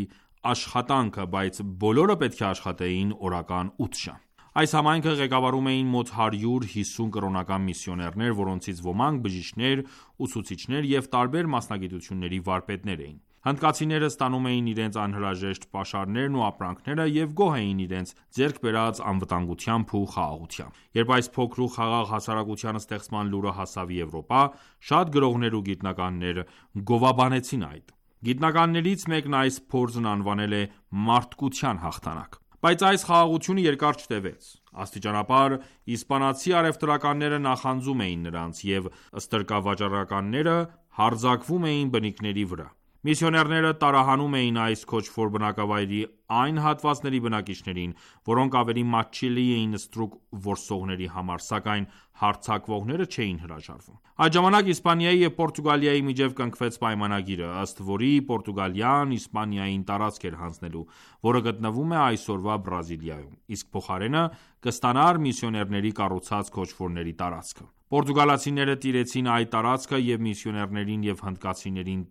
աշխատանքը, բայց բոլորը պետք է աշխատեին օրական 8 ժամ։ Այս համայնքը ղեկավարում էին մոտ 150 կրոնական միսիոներներ, որոնցից ոմանք բժիշկներ, ուսուցիչներ և տարբեր մասնագիտությունների վարպետներ էին։ Հնդկացիները ստանում էին իրենց անհրաժեշտ պաշարներն ու ապրանքները և գոհ էին իրենց ձեռք բերած անվտանգությամբ ու խաղաղությամբ։ Երբ այս փոքր ու խաղաղ հասարակության ստեղծման լուրը հասավ Եվրոպա, շատ գրողներ ու գիտնականներ գովաբանեցին այդ։ Գիտնականներից մեկն այս փորձն անվանել է մարդկության հաղթանակ։ Բայց այս խաղաղությունը երկար չտևեց։ Աստիճանաբար իսպանացի առևտրականները նախանձում էին նրանց, և ստրկավաճառականները հարձակվում էին բնիկների վրա։ Միսիոներները տարահանում էին այս քոչվոր բնակավայրի այն հատվածների բնակիչներին, որոնք ավելի մատչելի էին ստրուկ որսողների համար, սակայն հարձակվողները չէին հրաժարվում։ Այդ ժամանակ Իսպանիայի և Պորտուգալիայի միջև կնքվեց պայմանագիրը, ըստ որի Պորտուգալիան Իսպանիային տարածք էր հանձնելու, որը գտնվում է այսօրվա Բրազիլիայում, իսկ փոխարենը կստանար միսիոներների կառուցած քոչվորների տարածքը։ Պորտուգալացիները տիրեցին այդ տարածքը և միսիոներներին և հնդկացիներին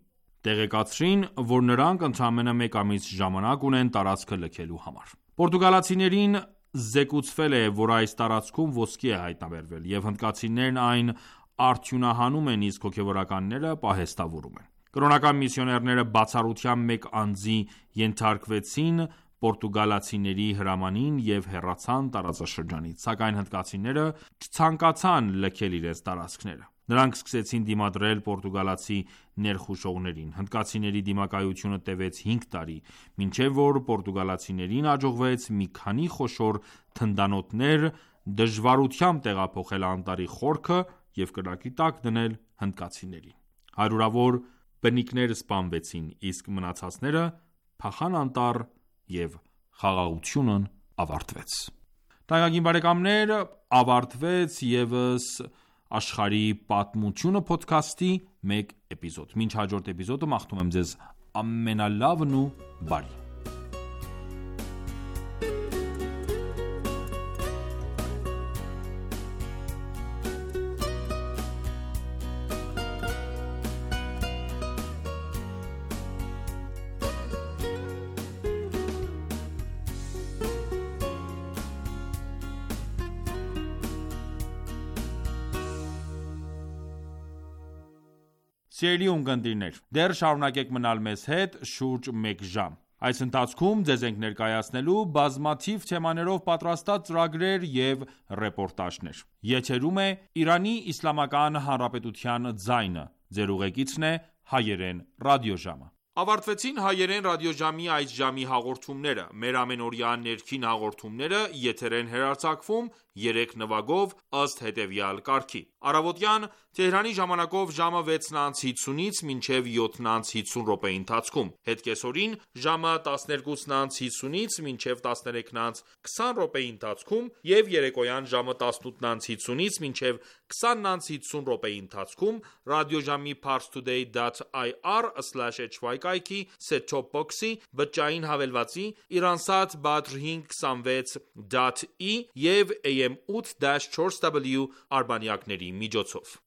տեղեկացրին, որ նրանք ընդամենը մեկ ամիս ժամանակ ունեն տարածքը լքելու համար։ Պորտուգալացիներին զեկուցվել է, որ այս տարածքում ոսկի է հայտնաբերվել, և հնդկացիներն այն արդյունահանում են, իսկ հոգևորականները պահեստավորում են։ Կրոնական միսիոներները բացառությամբ մեկ անձի ենթարկվեցին պորտուգալացիների հրամանին և հեռացան տարածաշրջանից, սակայն հնդկացիները չցանկացան լքել իրենց տարածքները։ Նրանք սկսեցին դիմադրել պորտուգալացի ներխուժողներին։ Հնդկացիների դիմակայությունը տևեց 5 տարի, մինչև որ պորտուգալացիներին հաջողվեց մի քանի խոշոր թնդանոթներ դժվարությամբ տեղափոխել անտառի խորքը և կրակի տակ դնել հնդկացիներին։ Հարյուրավոր բնիկներ սպանվեցին, իսկ մնացածները փախան անտառ և խաղաղությունն ավարտվեց։ Թանկագին բարեկամներ, ավարտվեց ևս Աշխարհի պատմությունը փոդքասթի մեկ էպիզոդ։ Մինչ հաջորդ էպիզոդը մաղթում եմ ձեզ ամենալավն ու բարի։ Սիրելի ունկնդիրներ, դեռ շարունակեք մնալ մեզ հետ շուրջ մեկ ժամ։ Այս ընթացքում ձեզ ենք ներկայացնելու բազմաթիվ թեմաներով պատրաստած ծրագրեր և ռեպորտաժներ։ Եթերում է Իրանի Իսլամական Հանրապետության ձայնը։ Ձեր ուղեկիցն է Հայերեն ռադիոժամը։ Ավարտվեցին Հայերեն ռադիոժամի այս ժամի հաղորդումները։ Մեր ամենօրյա ներքին հաղորդումները եթեր են հեռարձակվում 3 նվագով ըստ հետևյալ կարգի։ Առավոտյան Թեհրանի ժամանակով ժամը 6:50-ից մինչև 7:50 րոպեի ընթացքում, հետկեսօրին ժամը 12:50-ից մինչև 13:20 րոպեի ընթացքում և երեկոյան ժամը 18:50-ից մինչև 20:50 րոպեի ընթացքում ռադիոժամի parstoday.ir/hy կայքի set-top box-ի, բջջային հավելվածի, Iransat Badr 526.e և AM 8-4W արբանյակների միջոցով։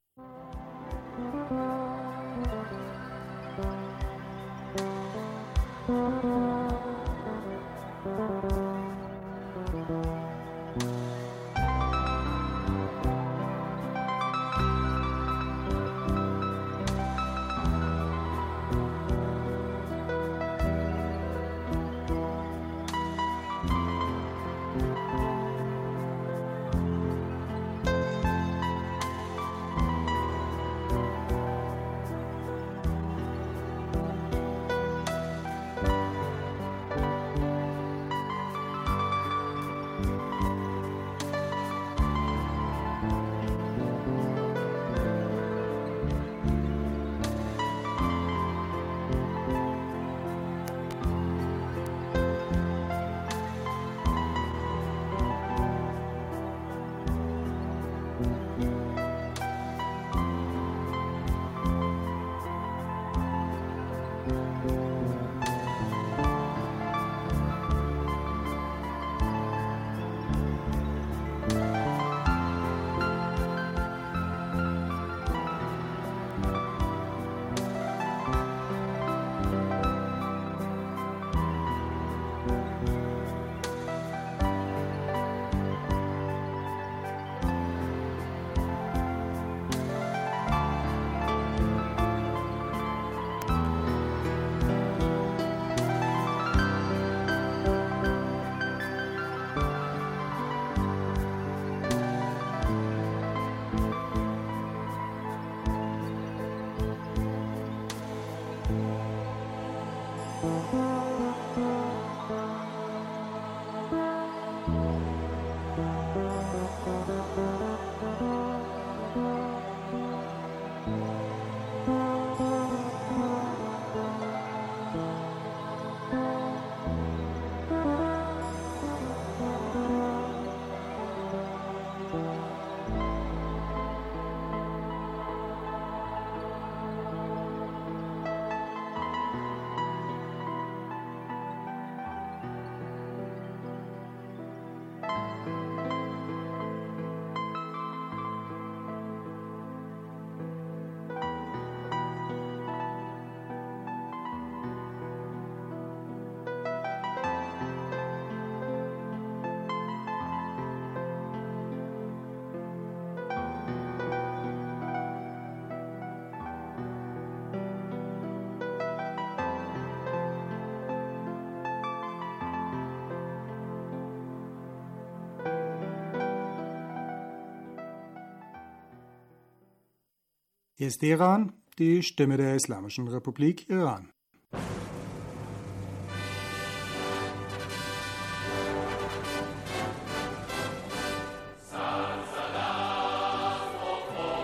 Hier ist Iran, die Stimme der Islamischen Republik Iran.